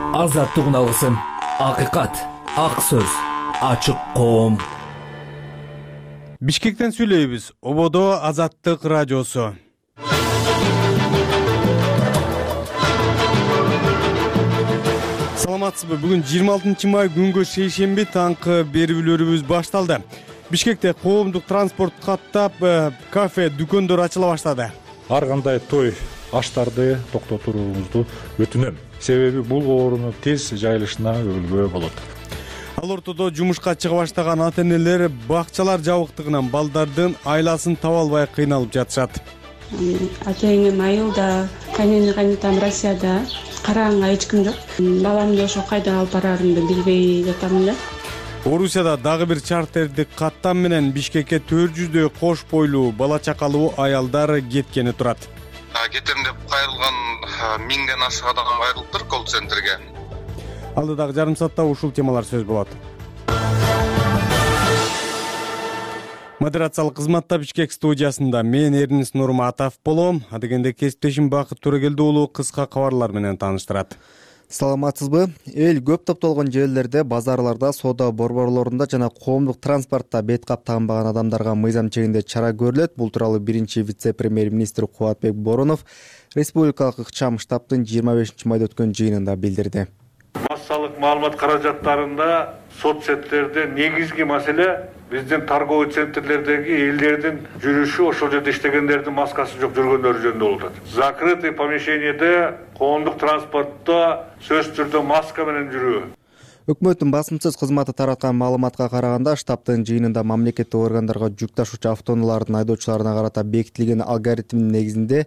Азаттык алгысым, акыйкат, ак сөз, ачык коом. Бишкектен сүйлөйбүз. Ободо Азаттык радиосу. Саламатсызбы? Бүгүн 26 май күнгө шейшемби таңкы берүүлөрүбүз башталды. Бишкекте коомдук транспорт каттап, кафе, дүкөндөр ачыла баштады. Ар кандай той аштарды токтотууңузду өтүнөм. Себеби бул оорунун тез жайылышына өлгө болот. Ал ортодо жумушка чыга баштаган ата-энелер бакчалар жабыктыгынан балдардын айласын таба албай кыйналып жатышат. Атайым айылда, кайненем Россияда, караганга эч ким жок. Баламды ошо кайда алып барарымды билбей жатам да. Орусияда дагы бир чартердик каттам менен Бишкекке 400дөй кош бойлуу бала чакалуу аялдар кеткени турат. Кетем деп кайрылган 1000ден ашык адам кайрылыптыр колл-центрге. Алдыдагы жарым саатта ушул темалар сөз болот. Модерациялык кызматта Бишкек студиясында мен Эрнис Нурматов болом. Адегенде кесиптешим Бакыт Төрөгелди уулу кыска кабарлар менен тааныштырат. Саламатсызбы? Эл көп топтолгон жерлерде, базарларда, соода борборлорунда жана коомдук транспортто бет кап тагынбаган адамдарга мыйзам чегинде чара көрүлөт. Бул тууралуу биринчи вице-премьер-министр Кубатбек Боронов республикалык ыкчам штабтын 25 майда өткөн жыйынында билдирди. Массалык маалымат каражаттарында соцсеттерде негизги маселе биздин торговый центрлердеги элдердин жүрүшү, ошол жерде иштегендердин маскасы жок жүргөндөрү жөнүндө болуп атат. Закрытый помещениеде коомдук транспортто сөзсүз түрдө маска менен жүрүү. Өкмөттүн басымсыз кызматы тараткан маалыматка караганда, штабтын жыйынында мамлекеттик органдарга жүк ташуучу автоунаалардын айдоочуларына карата бекитилген алгоритмдин негизинде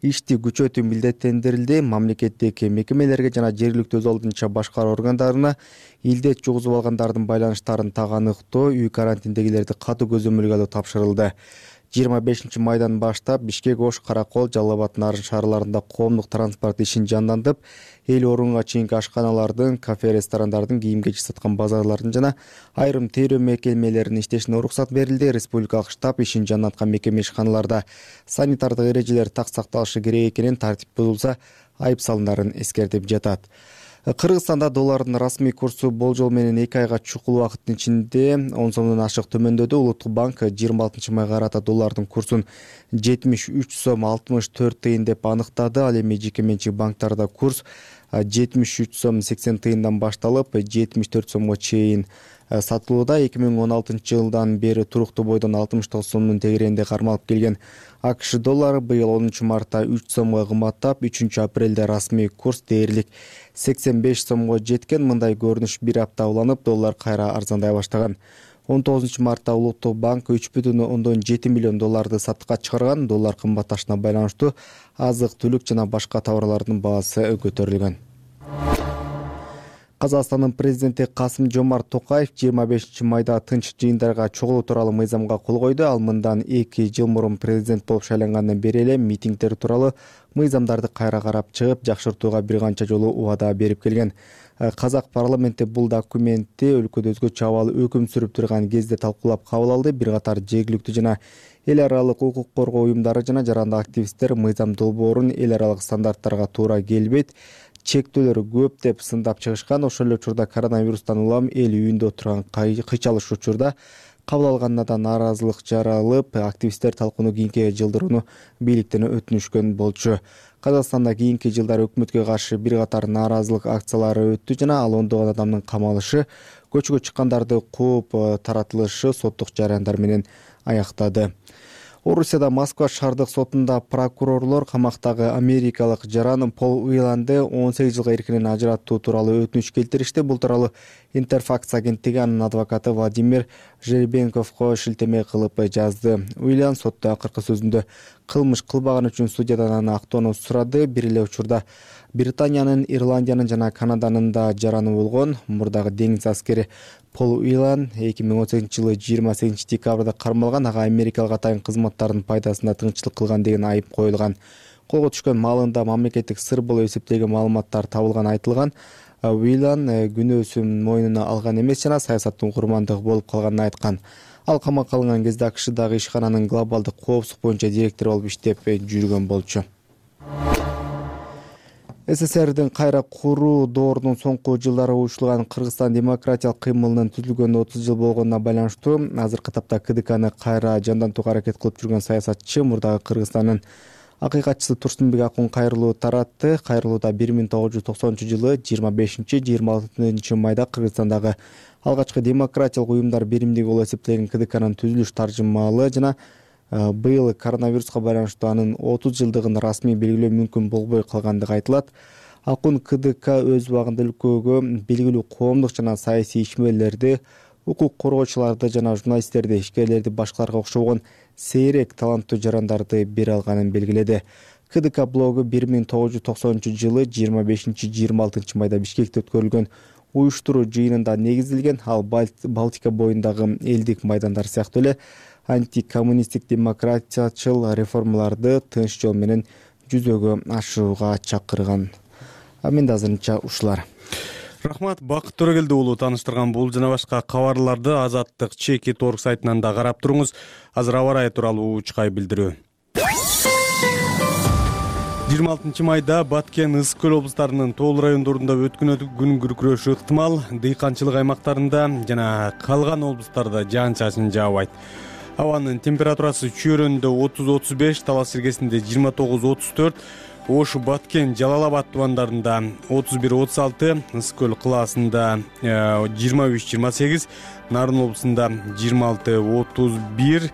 ишти күчөтүү милдеттендирилди. Мамлекеттик мекемелерге жана жергиликтүү өз алдынча башкаруу органдарына илдет жугузуп алгандардын байланыштарын таганыктоо, үй карантиндегилерди катуу көзөмөлгө алуу тапшырылды. 25 майдан баштап Бишкек, Ош, Каракол, Жалал Абад, Нарын шаарларында коомдук транспорт ишин жандантып, эл орунга чейинки ашканалардын, кафе, ресторандардын, кийим-кечек саткан базарлардын жана айрым тейлөө мекемелеринин иштешине уруксат берилди. Республикалык штаб ишин жанданткан мекеме ишканаларда санитардык эрежелер так сакталышы керек экенин, тартип бузулса айып салындарын эскертип жатат. Кыргызстанда доллардын расмий курсу болжол менен 2 айга чукул убакыттын ичинде 10 сомдон ашык төмөндөдү. Улуттук банк 26 майга карата доллардын курсун 73 сом 64 тыйын деп аныктады. Ал эми жеке менчик банктарда курс 73 сом 80 тыйындан башталып 74 сомго чейин сатылууда. 2016 жылдан бери туруктуу бойдон 69 сомдун тегерегинде кармалып келген АКШ доллары быйыл 10 мартта 3 сомго кымбаттап, 3 апрелде расмий курс дээрлик 85 сомго жеткен. Мындай көрүнүш бир апта уланып, доллар кайра арзандай баштаган. 19 мартта Улуттук банк 3,7 миллион долларды сатыкка чыгарган. Доллар кымбатташына байланыштуу азык-түлүк жана башка товарлардын баасы көтөрүлгөн. Казакстандын президенти Касым-Жомарт Токаев 25 майда тынч жыйындарга чогулуу тууралуу мыйзамга кол койду. Ал мындан 2 жыл мурун президент болуп шайлангандан бери эле митингдер тууралуу мыйзамдарды кайра карап чыгып, жакшыртууга бир канча жолу убада берип келген. Казак парламенти бул документти өлкөдө өзгөчө абал өкүм сүрүп турган кезде талкуулап кабыл алды. Бир катар жергиликтүү жана эл аралык укук коргоо уюмдары жана жарандык активисттер мыйзам долбоорун эл аралык стандарттарга туура келбейт, чектөөлөр көп деп сындап чыгышкан. Ошол эле учурда коронавирустан улам эл үйүндө отурган кыйчалыш учурда кабыл алганына да нааразылык жаралып, активисттер талкууну кийинки жылдырууну бийликтен өтүнүшкөн болчу. Казакстанда кийинки жылдары өкмөткө каршы бир катар нааразылык акциялары өттү жана ал ондогон адамдын камалышы, көчкө чыккандарды кууп таратылышы соттук жараяндар менен аяктады. Орусияда Москва шаардык сотунда прокурорлор камактагы америкалык жаран Пол Уиланды 18 жылга эркинен ажыраттуу тууралуу өтүнүч келтиришти. Бул тууралуу Интерфакс агенттиги анын адвокаты Владимир Жеребенковго шилтеме кылып жазды. Уилан сотто акыркы сөзүндө кылмыш кылбаган үчүн судьядан аны актоону сурады. Бир эле учурда Британиянын, Ирландиянын жана Канаданын да жараны болгон. Мурдагы деңиз аскери Пол Уилан 2018 жылы 28 декабрда кармалган. Ага америкалык атайын кызматтардын пайдасына тыңчылык кылган деген айып коюлган. Колго түшкөн маалында мамлекеттик сыр болуп эсептелген маалыматтар табылган айтылган. Уилан күнөөсүн мойнуна алган эмес жана саясаттын курмандыгы болуп калганын айткан. Ал камакка алынган кезде АКШдагы ишкананын глобалдык коопсуздук боюнча директору болуп иштеп жүргөн болчу. СССРдин кайра куруу доорунун соңку жылдары уюштурулган Кыргызстан демократиялык кыймылынын түзүлгөнүнө 30 жыл болгонуна байланыштуу азыркы тапта КДКны кайра жандантууга аракет кылып жүргөн саясатчы, мурдагы Кыргызстандын акыйкатчысы Турсунбек Акун кайрылуу таратты. Кайрылууда 1990-жылы 25-26 майда Кыргызстандагы алгачкы демократиялык уюмдар биримдиги болуп эсептелген КДКнын түзүлүш таржымаалы жана быйыл коронавируска байланыштуу анын 30 жылдыгын расмий белгилөө мүмкүн болбой калгандыгы айтылат. Акун КДК өз убагында өлкөгө белгилүү коомдук жана саясий ишмерлерди, укук коргоочуларды жана журналисттерди, ишкерлерди башкаларга окшогон сейрек таланттуу жарандарды бере алганын белгиледи. КДК блогу 1990-жылы 25-26 майда Бишкекте өткөрүлгөн уюштуруу жыйынында негизделген. Ал Балтика боюндагы элдик майдандар сыяктуу эле антикоммунисттик демократиячыл реформаларды тынч жол менен жүзөгө ашырууга чакырган. Менде азырынча ушулар. Рахмат, Бакыт Төрөгелди уулу тааныштырган бул жана башка кабарларды Азаттык Чеки.org сайтынан да карап туруңуз. Азыр аба ырайы тууралуу учкай билдирүү. 26 майда Баткен, Ысык Көл облустарынын тоолуу райондорунда өткөн күн күркүрөшү ыктымал. Дыйканчылык аймактарында жана калган облустарда жаан-чачын жаабайт. Абанын температурасы Чүйөрөндө 30-35, Талас Сиркесинде 29-34, Ош, Баткен, Жалал Абад тубандарында 31-36, Ысык Көл кылаасында 23-28, Нарын облусунда 26-31,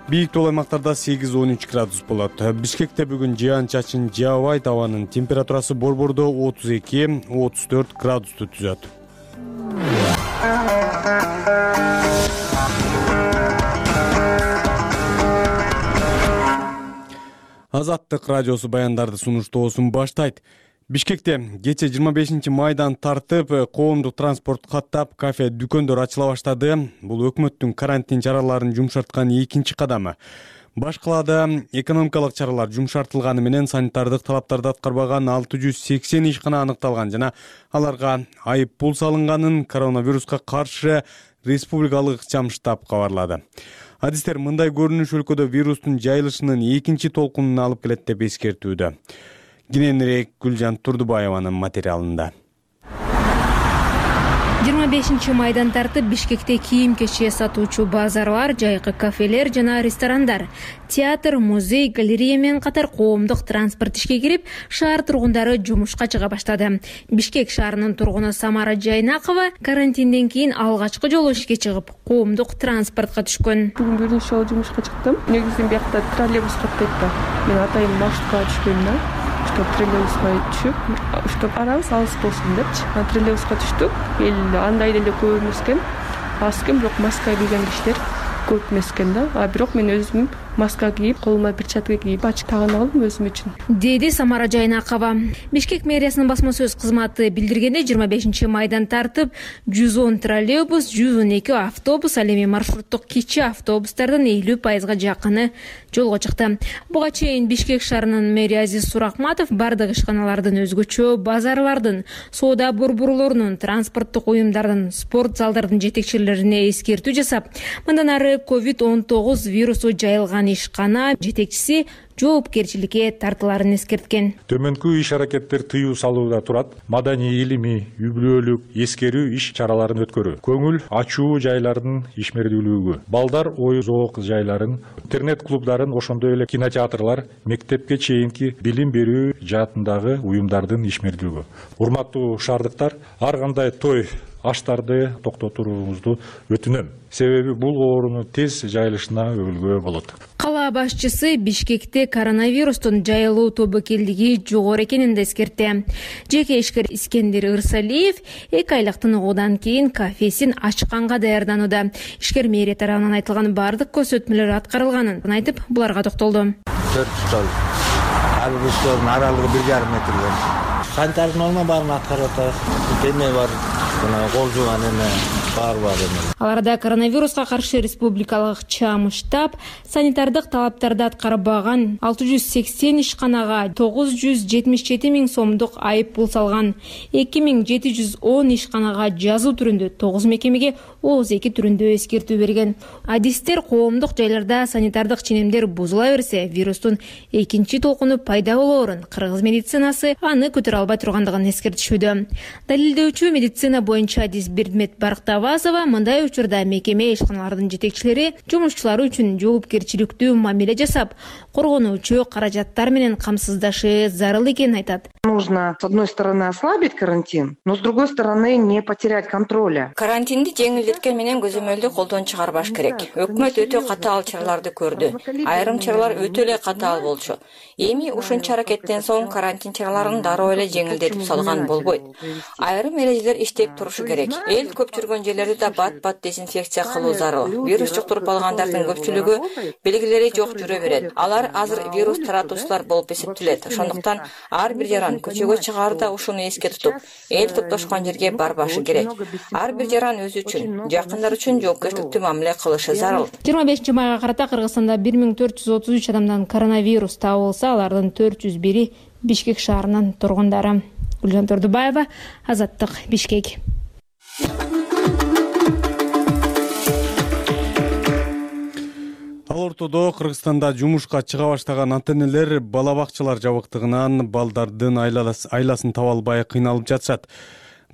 бийик тоолуу аймактарда 8-13 градус болот. Бишкекте бүгүн жаан-чачын жаабайт, абанын температурасы Борбордо 32-34 градусту түзөт. Азаттык радиосу баяндарды сунуштоосун баштайт. Бишкекте кече 25 майдан тартып, коомдук транспорт каттап, кафе, дүкөндөр ачыла баштады. Бул өкмөттүн карантин чараларын жумшарткан экинчи кадамы. Баш калаада экономикалык чаралар жумшартылганы менен санитардык талаптарды аткарбаган 680 ишкана аныкталган жана аларга айып пул салынганын коронавируска каршы республикалык ыкчам штаб кабарлады. Адистер мындай көрүнүш өлкөдө вирустун жайылышынын экинчи толкунун алып келет деп эскертүүдө. Кененирээк Гүлжан Турдубаеванын материалында. 25 майдан тартып Бишкекте кийим-кече сатуучу базарлар, жайкы кафелер жана ресторандар, театр, музей, галерея менен катар коомдук транспорт ишке кирип, шаар тургундары жумушка чыга баштады. Бишкек шаарынын тургуну Самара Жайнакова карантинден кийин алгачкы жолу ишке чыгып, коомдук транспортко түшкөн. Бүгүн биринчи жолу жумушка чыктым. Негизи биякта троллейбус каттайт да. Мен атайын маршрутка түшкөм да. Чтоб троллейбуска түшүп, чтоб арабыз алыс болсун депчи. Троллейбуска түштүк. Эл андай деле көп эмес экен. Аз экен, бирок маска кийген кишилер көп эмес экен да. А бирок мен өзүм маска кийип, колума перчатка кийип, ачык тагын алдым өзүм үчүн. Деди Самара Жайнакова. Бишкек мэриясынын басма сөз кызматы билдиргенде 25 майдан тартып 110 троллейбус, 112 автобус, ал эми маршруттук кичи автобустардын 50% жакыны жолго чыкты. Буга чейин Бишкек шаарынын мэри Азиз Суракматов бардык ишканалардын, өзгөчө базарлардын, соода борборлорунун, транспорттук уюмдардын, спорт залдардын жетекчилерине эскертүү жасап, мындан ары COVID-19 вирусу жайылган ишкана жетекчиси жоопкерчиликке тартыларын эскерткен. Төмөнкү иш аракеттер тыюу салууда турат. Маданий, илимий, үй-бүлөлүк, эскерүү иш чараларын өткөрүү, көңүл ачуу жайлардын ишмердүүлүгү, балдар ой зоок жайларын, интернет клубдарын, ошондой эле кинотеатрлар, мектепке чейинки билим берүү жаатындагы уюмдардын ишмердүүлүгү. Урматтуу шаардыктар, ар кандай той аштарды токтотууңузду өтүнөм. Себеби бул ооруну тез жайылышына өбүлгө болот. Кала башчысы Бишкекте коронавирустун жайылуу тобокелдиги жогору экенин да эскертти. Жеке ишкер Искендер Ырсалиев 2 айлыктын угуудан кийин кафесин ачканга даярданууда. Ишкер мэрия тарабынан айтылган бардык көзөтмөлөр аткарылганын айтып, буларга токтолду. 4 стол, автобустардын аралыгы 1,5 метр. Санитардын норма баарын аткарып атабыз. Деме бар, кол жууган эме, бар эми. Аларда коронавируска каршы республикалык чам штаб санитардык талаптарды аткарбаган 680 ишканага 977 миң сомдук айып пул салган. 2710 ишканага жазуу түрүндө, 9 мекемеге ооз эки түрүндө эскертүү берген. Адистер коомдук жайларда санитардык ченемдер бузула берсе, вирустун экинчи толкуну пайда болоорун, кыргыз медицинасы аны көтөрө албай тургандыгын эскертишүүдө. Далилдөөчү медицина боюнча адис Бердмет Барктабазова мындай учурда мекеме ишканалардын жетекчилери жумушчулары үчүн жоопкерчиликтүү мамиле жасап, коргонуучу каражаттар менен камсыздашы зарыл экенин айтат. Нужно, с одной стороны, ослабить карантин, но с другой стороны, не потерять контроля. Карантинди жеңилдеткен менен көзөмөлдү колдон чыгарбаш керек. Өкмөт өтө катаал чараларды көрдү. Айрым чаралар өтө эле катаал болчу. Эми ушунча аракеттен соң карантин чараларын дароо эле жеңилдетип салган болбойт. Айрым эрежелер иштеп турушу керек. Эл көп жүргөн жерлерди да бат-бат дезинфекция кылуу зарыл. Вирус жуктуруп алгандардын көпчүлүгү белгилери жок жүрө берет. Алар азыр вирус таратуучулар болуп эсептелет. Ошондуктан ар бир жаран көчөгө чыгаарда ушуну эске тутуп, эл топтошкон жерге барбашы керек. Ар бир жаран өзү үчүн, жакындар үчүн жоопкерчиликтүү мамиле кылышы зарыл. 25 майга карата Кыргызстанда 1433 адамдан коронавирус табылса, алардын 401-и Бишкек шаарынын тургундары. Гүлжан Тордубаева, Азаттык, Бишкек. Ал ортодо Кыргызстанда жумушка чыга баштаган ата-энелер бала бакчалар жабыктыгынан балдардын айласын таба албай кыйналып жатышат.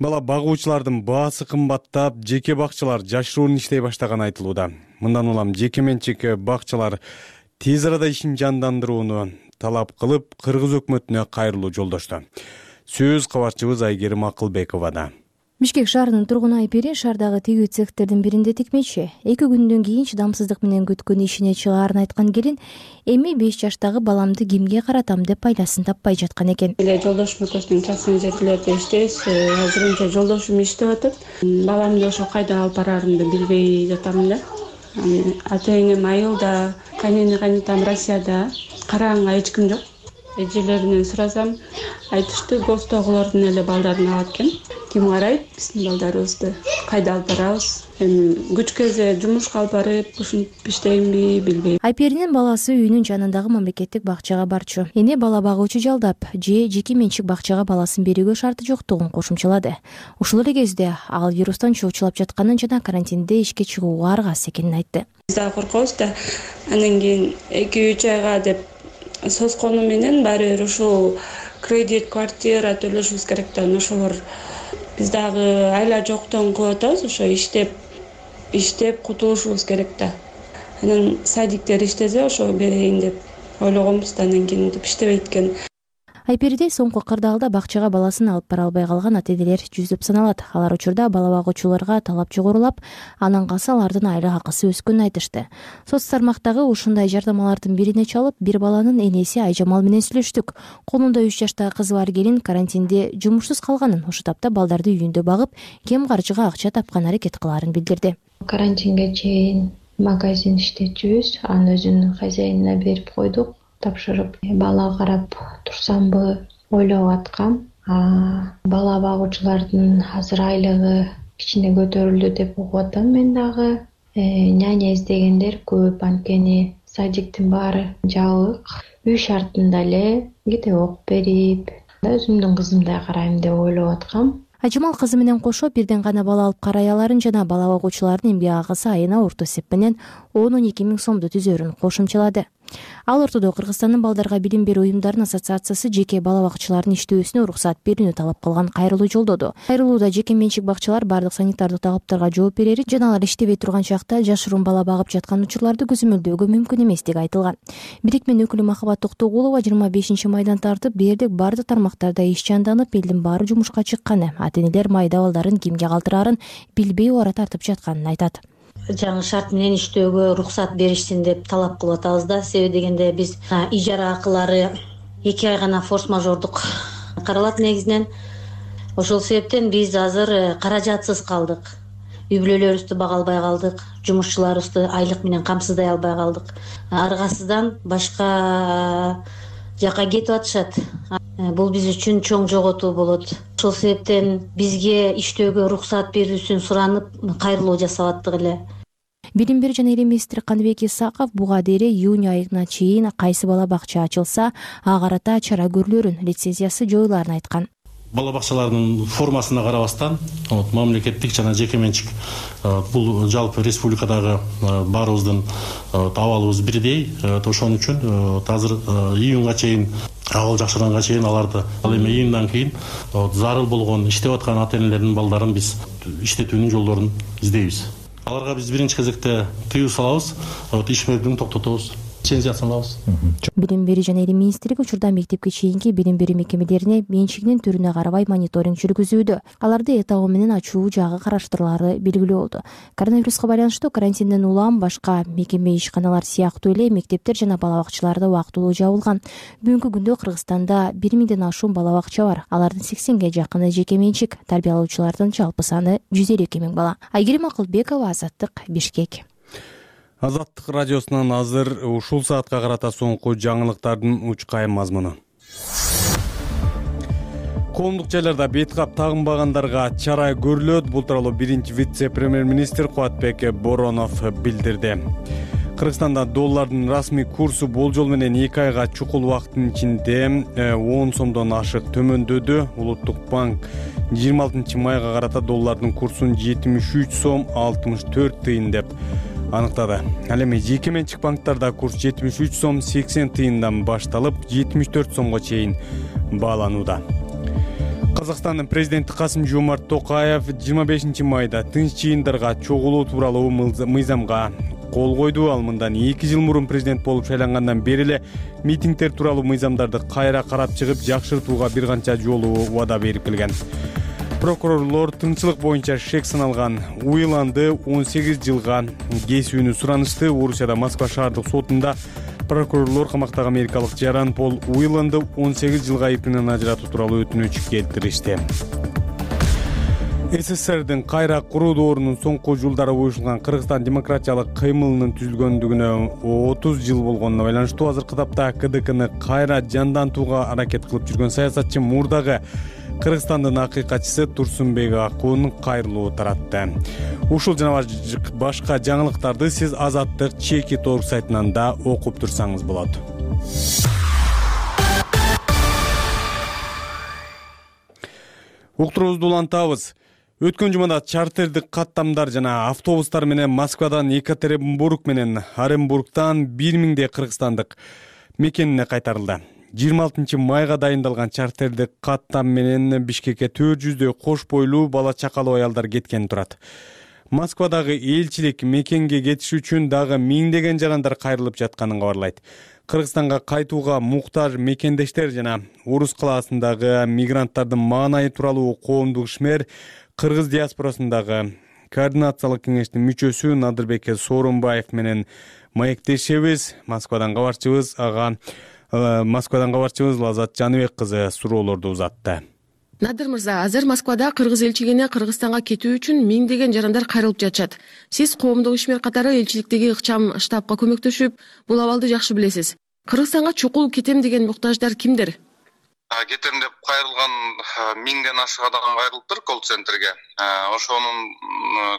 Бала багуучулардын баасы кымбаттап, жеке бакчалар жашыруун иштей баштаганы айтылууда. Мындан улам жеке менчик бакчалар тез арада ишин жандандырууну талап кылып, Кыргыз өкмөтүнө кайрылуу жолдошту. Сөз кабарчыбыз Айгерим Акылбековада. Бишкек шаарынын тургуну Айпери шаардагы тигүү цехтердин биринде тикмечи. 2 күндөн кийин чыдамсыздык менен күткөн ишине чыгаарын айткан келин, эми 5 жаштагы баламды кимге каратам деп пайдасын таппай жаткан экен. Жолдошум экөөбүздүн частный жерлерде иштейбиз. Азырынча жолдошум иштеп атат. Баламды ошо кайда алып барарымды билбей жатам эле. Ата-энем айылда, кайненем Россияда, карааңга эч ким жок. Эжелеринен сурасам, айтышты, гостогулардын эле балдарын алат экен. Ким карайт биздин балдарыбызды? Кайда алып барабыз? Эми күч кезде жумушка алып барып, ушинтип иштейинби билбейм. Айперинин баласы үйүнүн жанындагы мамлекеттик бакчага барчу. Эне бала багуучу жалдап, жеке менчик бакчага баласын берүүгө шарты жоктугун кошумчалады. Ушул эле кезде ал вирустан чоочулап жатканын жана карантинде ишке чыгууга аргасыз экенин айтты. Биз да коркобуз да, андан кийин 2-3 айга деп соскону менен баары бир ушул кредит, квартира төлөшүбүз керек да, ошолор биз дагы айла жоктон кылып атабыз, ошо иштеп кутулушубуз керек да. Анан садиктер иштесе ошо берейин деп ойлогонбуз да, андан кийин деп иштебейт экен. Айпериде соңку кырдаалда бакчага баласын алып бара албай калган ата-энелер жүзүп саналат. Алар учурда бала багуучуларга талап жогорулап, анан калса алардын айла акысы өскөнүн айтышты. Соц тармактагы ушундай жардамалардын бирине чалып, бир баланын энеси Айжамал менен сүйлөштүк. Колунда 3 жаштагы кызы бар келин карантинде жумушсуз калганын, ошол тапта балдарды үйүндө багып, кем каржыга акча тапкан аракет кылаарын билдирди. Карантинге чейин магазин иштетчүбүз, анын өзүнүн хозяинине берип койдук. Тапшырып, бала карап турсамбы ойлоп аткам. Бала багуучулардын азыр айлыгы кичине көтөрүлдү деп угуп атам мен дагы. Няня издегендер көп, анткени садиктин баары жабык. Үй шартында эле кете окуп берип, өзүмдүн кызымдай карайм деп ойлоп аткам. Айжамал кызы менен кошо бирден гана бала алып карай аларын жана бала багуучулардын эмгек акысы айына орто эсеп менен 12 миң сомду түзөрүн кошумчалады. Ал ортодо Кыргызстандын балдарга билим берүү уюмдарынын ассоциациясы жеке бала бакчаларынын иштөөсүнө уруксат берүүнү талап кылган кайрылуу жолдоду. Кайрылууда жеке менчик бакчалар бардык санитардык талаптарга жооп берери жана алар иштебей турган чакта жашыруун бала багып жаткан учурларды көзөмөлдөөгө мүмкүн эместиги айтылган. Бирикменин өкүлү Махабат Токтогулова 25 майдан тартып дээрлик бардык тармактарда иш жанданып, элдин баары жумушка чыкканы, ата-энелер майда балдарын кимге калтыраарын билбей ора тартып жатканын айтат. Жаңы шарт менен иштөөгө уруксат беришсин деп талап кылып атабыз да. Себеби дегенде биз ижара акылары 2 ай гана форс-мажордук каралат негизинен. Ошол себептен биз азыр каражатсыз калдык. Үй бүлөлөрүбүздү бага албай калдык, жумушчуларыбызды айлык менен камсыздай албай калдык. Аргасыздан башка жака кетип атышат. бул биз үчүн чоң жоготуу болот. Ошол себептен бизге иштөөгө уруксат берүүсүн суранып кайрылуу жасап аттык эле. Билим берүү жана элем министри Каныбек Исаков буга дейин июнь айына чейин кайсы бала бакча ачылса, ага карата чара көрүлөрүн, лицензиясы жоюларын айткан. Бала бакчалардын формасына карабастан, мамлекеттик жана жеке менчик бул жалпы республикадагы баарыбыздын абалыбыз бирдей. Ошон үчүн азыр июнга чейин, абал жакшырганга чейин аларды, ал эми июндан кийин зарыл болгон иштеп аткан ата-энелердин балдарын биз иштетүүнүн жолдорун издейбиз. Аларга биз биринчи кезекте тыюу салабыз, иш мезгилин токтотобуз, лицензиясын алабыз. Билим берүү жана элем министрлиги учурда мектепке чейинки билим берүү мекемелерине менчигинин түрүнө карабай мониторинг жүргүзүүдө. Аларды этабы менен ачуу жагы караштырылары белгилүү болду. Коронавируска байланыштуу карантинден улам башка мекеме ишканалар сыяктуу эле мектептер жана бала бакчаларда убактылуу жабылган. Бүгүнкү күндө Кыргызстанда 1000ден ашуун бала бакча бар. Алардын 80ге жакыны жеке менчик, тарбиялоочулардын жалпы саны 152 000 бала. Айгерим Акылбекова, Азаттык, Бишкек. Азаттык радиосунан азыр ушул саатка карата соңку жаңылыктардын учкайым мазмуну. Коомдук жайларда бет кап тагынбагандарга чара көрүлөт. Бул тууралуу биринчи вице-премьер-министр Кубатбек Боронов билдирди. Кыргызстанда доллардын расмий курсу болжол менен 2 айга чукул убакыттын ичинде 10 сомдон ашык төмөндөдү. Улуттук банк 26 майга карата доллардын курсун 73 сом 64 тыйын деп аныктады. Ал эми жеке менчик банктарда курс 73 сом 80 тыйындан башталып 74 сомго чейин бааланууда. Казакстандын президенти Касым-Жомарт Токаев 25 майда тынч жыйындарга чогулуу тууралуу мыйзамга кол койду. Ал мындан 2 жыл мурун президент болуп шайлангандан бери эле митингдер тууралуу мыйзамдарды кайра карап чыгып, жакшыртууга бир канча жолу убада берип келген. Прокурорлор тыңчылык боюнча шек саналган Уиланды 18 жылга кесүүнү суранышты. Орусияда Москва шаардык сотунда прокурорлор камактагы америкалык Жаран Пол Уиланды 18 жылга айыпынан ажыратуу тууралуу өтүнүч келтиришти. СССРдин кайра куруу доорунун соңку жылдары уюшулган Кыргызстан демократиялык кыймылынын түзүлгөндүгүнө 30 жыл болгонуна байланыштуу азыркы тапта КДКны кайра жандантууга аракет кылып жүргөн саясатчы мурдагы Кыргызстандын акыйкатчысы Турсунбек Акун кайрылуу таратты. Ушул жана башка жаңылыктарды сиз Азаттык чеки торг сайтынан да окуп турсаңыз болот. Уктуруубузду улантабыз. Өткөн жумада чартердик каттамдар жана автобустар менен Москвадан Екатеринбург менен Оренбургтан 1000 кыргызстандык мекенине кайтарылды. 26 майга дайындалган чартердик каттам менен Бишкекке 400 кош бойлуу бала чакалуу аялдар кеткен турат. Москвадагы элчилик мекенге кетиш үчүн дагы 1000 жарандар кайрылып жатканын кабарлайт. Кыргызстанга кайтууга муктаж мекендештер жана Орус калаасындагы мигранттардын маанайы тууралуу коомдук ишмер Кыргыз диаспорасындагы координациялык кеңештин мүчөсү Надырбек Сооронбаев менен маектешебиз. Москвадан кабарчыбыз Лазат Жаныбек кызы суроолорду узатты. Надыр мырза, азыр Москвада кыргыз элчилигине Кыргызстанга кетүү үчүн 1000 жарандар кайрылып жатышат. Сиз коомдук ишмер катары элчиликтеги ыкчам штабка көмөктөшүп, бул абалды жакшы билесиз. Кыргызстанга чукул кетем деген муктаждар кимдер? Кетем деп кайрылган 1000ден ашык адам кайрылыптыр колл-центрге. Ошонун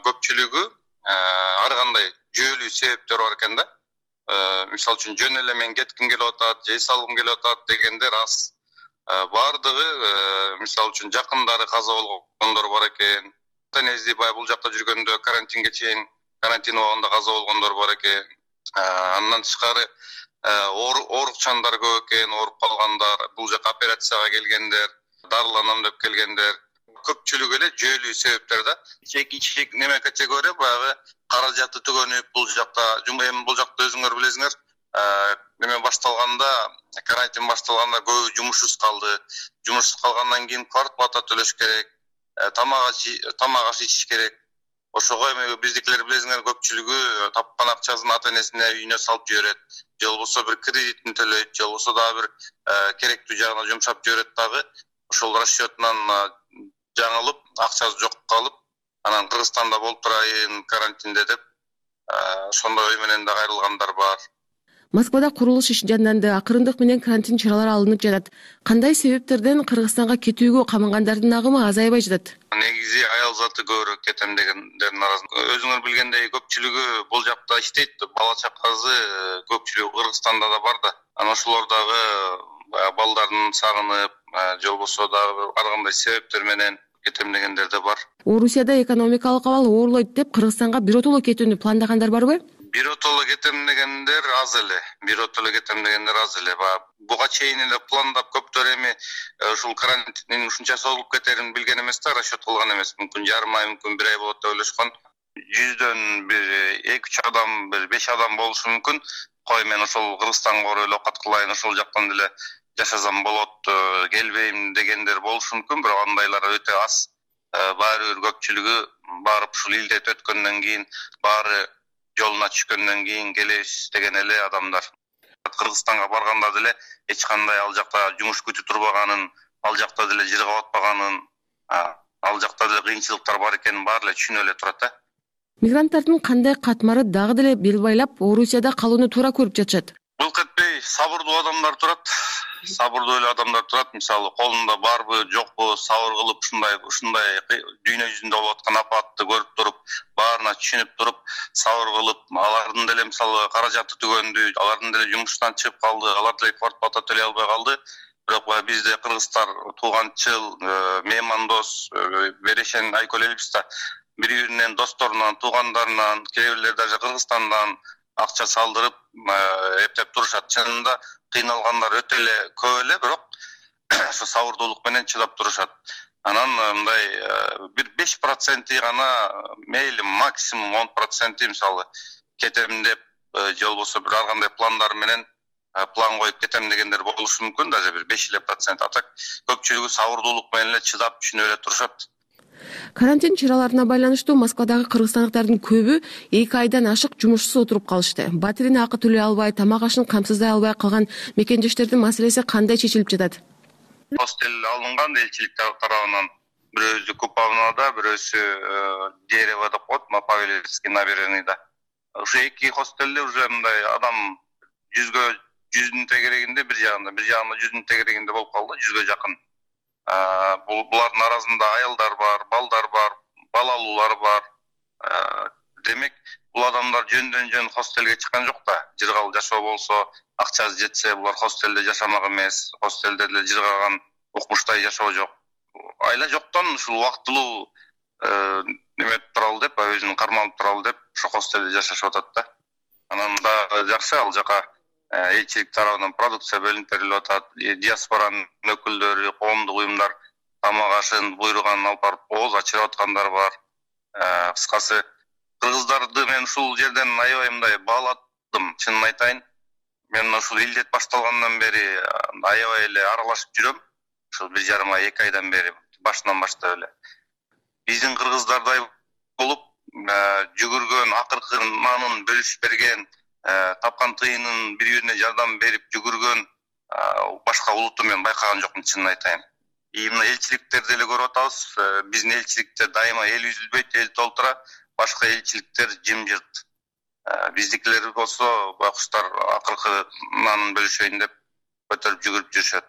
көпчүлүгү ар кандай жүйөлүү себептер бар экен да. Мисалы үчүн жөн эле мен кетким келип атат, жей салгым келип атат дегендер аз. Бардыгы мисалы үчүн жакындары каза болгондор бар экен. Тенезди бул жакта жүргөндө карантинге чейин карантин убагында каза болгондор бар экен. Андан тышкары оорукчандар көп экен, ооруп калгандар, бул жака операцияга келгендер, дарыланам деп келгендер. Көпчүлүгү эле жүйөлүү себептер да. Чек неме категория баягы каражаты түгөнүп бул жакта эми бул жакта өзүңөр билесиңер, неме башталганда, карантин башталганда көбү жумушсуз калды. Жумушсуз калгандан кийин квартплата төлөш керек, тамак аш ичиш керек. Ошого эми биздикилер билесиңер көпчүлүгү тапкан акчасын ата-энесине үйүнө салып жиберет. Же болбосо бир кредитин төлөйт, же болбосо дагы бир керектүү жагына жумшап жиберет дагы. Ошол расчетунан жаңылып, акчасы жок калып, анан Кыргызстанда болуп турайын карантинде деп ошондой ой менен да кайрылгандар бар. Москвада курулуш иши жанданды, акырындык менен карантин чаралары алынып жатат. Кандай себептерден Кыргызстанга кетүүгө камалгандардын агымы азайбай жатат? Негизи аял заты көбүрөөк кетем дегендердин арасында. Өзүңөр билгендей көпчүлүгү бул жакта иштейт. Бала чакасы көпчүлүгү Кыргызстанда да бар да. Анан ошолор дагы балдарын сагынып, же болбосо дагы ар кандай себептер менен кетем дегендер да бар. Орусияда экономикалык абал оорлойт деп Кыргызстанга биротоло кетүүнү пландагандар барбы? Биротоло кетем дегендер аз эле. Буга чейин эле пландап көптөр эми ушул карантин ушунча созулуп кетерин билген эмес да, расчет кылган эмес. Мүмкүн жарым ай, мүмкүн бир ай болот деп ойлошкон. 100дөн бир 2-3 адам, бир 5 адам болушу мүмкүн. Кой мен ошол Кыргызстанга барып эле окат кылайын, ошол жактан деле жашасам болот, келбейм дегендер болушу мүмкүн, бирок андайлар өтө аз. Баары бир көпчүлүгү барып ушул илдет өткөндөн кийин, баары жолуна түшкөндөн кийин келебиз деген эле адамдар. Кыргызстанга барганда деле эч кандай ал жакта жумуш күтүп турбаганын, ал жакта деле жыргап атпаганын, ал жакта деле кыйынчылыктар бар экенин баары эле түшүнүп эле турат да. Мигранттардын кандай катмары дагы деле бел байлап Орусияда калууну туура көрүп жатышат. Былк этпей сабырдуу адамдар турат. Мисалы, колунда барбы, жокпу, сабыр кылып ушундай дүйнө жүзүндө болуп аткан апатты көрүп туруп, баарына түшүнүп туруп, сабыр кылып, алардын деле мисалы каражаты түгөндү, алардын деле жумуштан чыгып калды, алар деле квартплата төлөй албай калды. Бирок бизде кыргыздар тууганчыл, меймандос, берешен айкөл элибиз да. Бири-биринен досторунан, туугандарынан, кээ бирлер даже Кыргызстандан акча салдырып, эптеп турушат. Чынында кыйналгандар өтө эле көп эле, бирок ошо сабырдуулук менен чыдап турушат. Анан мындай бир 5% гана, мейли максимум 10% мисалы кетем деп, же болбосо бир ар кандай пландар менен план коюп кетем дегендер болушу мүмкүн, даже бир 5%. Атак көпчүлүгү сабырдуулук менен эле чыдап түшүнүп эле турушат. Карантин чараларына байланыштуу Москвадагы кыргызстандыктардын көбү 2 айдан ашык жумушсуз отуруп калышты. Батирин акы төлөй албай, тамак ашын камсыздай албай калган мекендештердин маселеси кандай чечилип жатат? Хостел алынган элчилик тарабынан, бирөөсү Купавнада, бирөөсү Дерево деп коет, Павелецкий набережныйда. Ушу 2 хостелде уже мындай адам 100 тегерегинде, бир жагында 100 тегерегинде болуп калды, 100 жакын. Булардын арасында аялдар бар, балдар бар, балалуулар бар. Демек, бул адамдар жөндөн-жөн хостелге чыккан жок да. Жыргал жашоо болсо, акчасы жетсе, булар хостелде жашамак эмес, хостелде деле жыргаган укмуштай жашоо жок. Айла жоктон ушул убактылуу неметип туралы деп, өзүн кармалып туралы деп, ошо хостелде жашашып атат да. Анан да жакшы ал жака элчилик тарабынан продукция бөлүнүп берилип атат. Диаспоранын өкүлдөрү, коомдук уюмдар тамак ашын буйруган алып барып ооз ачырып аткандар бар. Кыскасы кыргыздарды мен ушул жерден аябай мындай бааладым, чынын айтайын. Мен ушул илдет башталгандан бери аябай эле аралашып жүрөм. Ушул 1,5 ай, 2 айдан бери башынан баштап эле. Биздин кыргыздардай болуп, жүгүргөн, акыркы нанын бөлүшүп берген, тапкан тыйынын бири-бирине жардам берип жүгүргөн башка улутту мен байкаган жокмун, чынын айтайын. Мына элчиликтерди деле көрүп атабыз. Биздин элчиликте дайыма эл үзүлбөйт, эл толтура, башка элчиликтер жымжырт. Биздикилер болсо, байкуштар акыркы нанын бөлүшөйүн деп көтөрүп жүгүрүп жүрүшөт.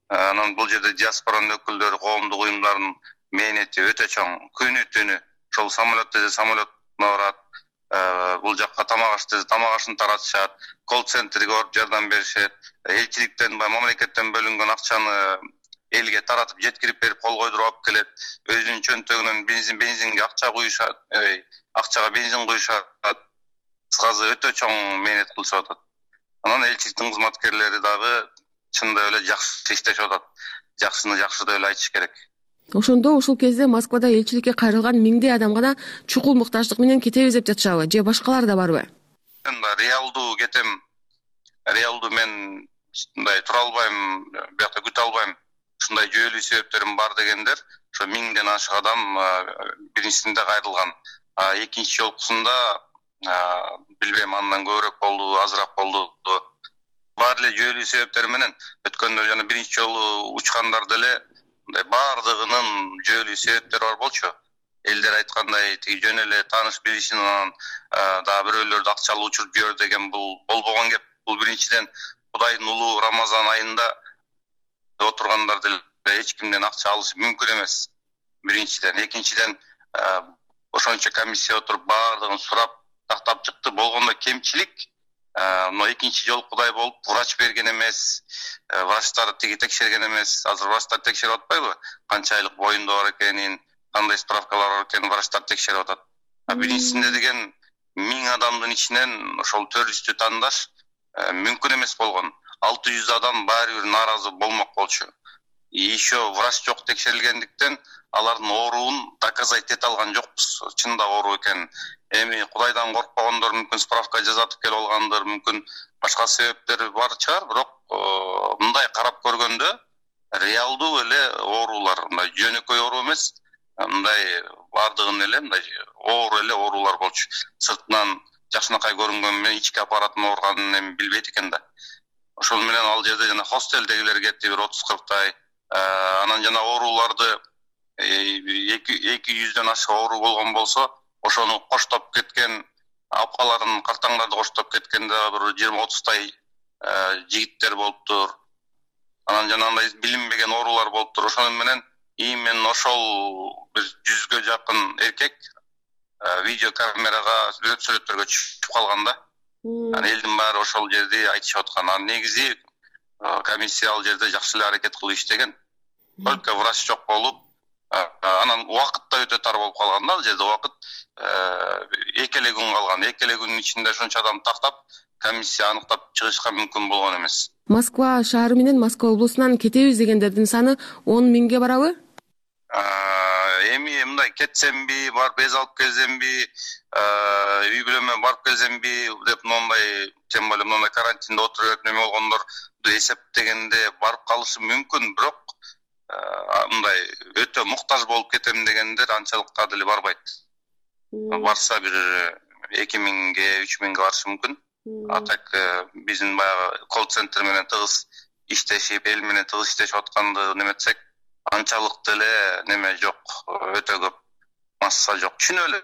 Анан бул жерде диаспоранын өкүлдөрү, коомдук уюмдардын мээнети өтө чоң. Күнү-түнү ошол самолет десе самолетуна барат. Бул жакка тамак аш десе тамак ашын таратышат, колл-центрге барып жардам беришет. Элчиликтен, мамлекеттен бөлүнгөн акчаны элге таратып жеткирип берип кол койдуруп алып келет. Өзүнүн чөнтөгүнөн бензинге акча куюшат, акчага бензин куюшат. Кыскасы өтө чоң мээнет кылышып атат. Анан элчиликтин кызматкерлери дагы чындап эле жакшы иштешип атат. Жакшыны жакшы деп эле айтыш керек. Ошондо ушул кезде Москвада элчиликке кайрылган миңдей адамга чукул муктаждык менен кетебиз деп жатышабы, же башкалар да барбы? Реалдуу кетем. Реалдуу мен мындай тура албайм, биякта күтө албайм. Ушундай жүйөлүү себептерим бар дегендер, ошо 1000ден ашык адам биринчисинде кайрылган. Экинчи жолкусунда билбейм, андан көбүрөөк болду, азыраак болду. Бар эле жүйөлүү себептер менен өткөндө жана биринчи жолу учкандар деле мындай баардыгынын жүйөлүү себептери бар болчу. Элдер айткандай, тиги жөн эле тааныш билишин анан дагы бирөөлөрдү акчалуу учуруп жибер деген бул болбогон кеп. Бул биринчиден Кудайдын улуу Рамазан айында отургандар деле эч кимден акча алышы мүмкүн эмес. Биринчиден, экинчиден ошончо комиссия отуруп баардыгын сурап тактап чыкты. Болгондо кемчилик мына экинчи жолу Кудай болуп врач берген эмес, врачтар текшерген эмес. Азыр врачтар текшерип атпайбы? Канча айлык боюнда бар экенин, кандай справкалар бар экенин врачтар текшерип атат. Биринчисинде деген 1000 адамдын ичинен ошол 400 тандаш мүмкүн эмес болгон. 600 адам баары бир нааразы болмок болчу. Еще врач жок текшерилгендиктен алардын ооруун доказать эте алган жокпуз. Чында оору экенин. Эми Кудайдан коркпогондор мүмкүн справка жазатып келип алгандыр, мүмкүн башка себептери бар чыгар, бирок мындай карап көргөндө реалдуу эле оорулар, мындай жөнөкөй оору эмес, мындай бардыгын эле мындай оор эле оорулар болчу. Сыртынан жакшынакай көрүнгөн менен ички аппараттын ооруганын эми билбейт экен да. Ошол менен ал жерде жана хостелдегилер кетти, бир 30-40тай. Анан жана ооруларды 200дөн ашык оору болгон болсо, ошону коштоп кеткен апаларын, картаңдарды коштоп кеткенде бир 20-30тай жигиттер болуптур. Анан жанагындай билинбеген оорулар болуптур. Ошону менен именно ошол бир 100гө жакын эркек видео камерага сүрөттөргө чыгып калган да. Элдин баары ошол жерде айтышып аткан. Анан негизи комиссия ал жерде жакшы эле аракет кылып иштеген. Только врач жок болуп, анан убакыт да өтө тар болуп калган да, ал жерде убакыт 2 күн калган. 2 күнүн ичинде ошончо адам тактап, комиссия аныктап чыгышка мүмкүн болгон эмес. Москва шаары менен Москва облусунан кетебиз дегендердин саны 10 миңге барабы? Эми мындай кетсемби, барып эз алып келсемби, үй бүлөмө барып келсемби деп мындай, тем более мындай карантинде отуруп неме болгондор эсептегенде барып калышы мүмкүн, бирок мындай өтө муктаж болуп кетем дегендер анчалыкка деле барбайт. Барса бир 2000ге, 3000ге барышы мүмкүн. А так биздин баягы колл-центр менен тыгыз иштешип, эл менен тыгыз иштешип атканды неметсек, анчалык деле неме жок, өтө көп масса жок. Түшүнүп эле,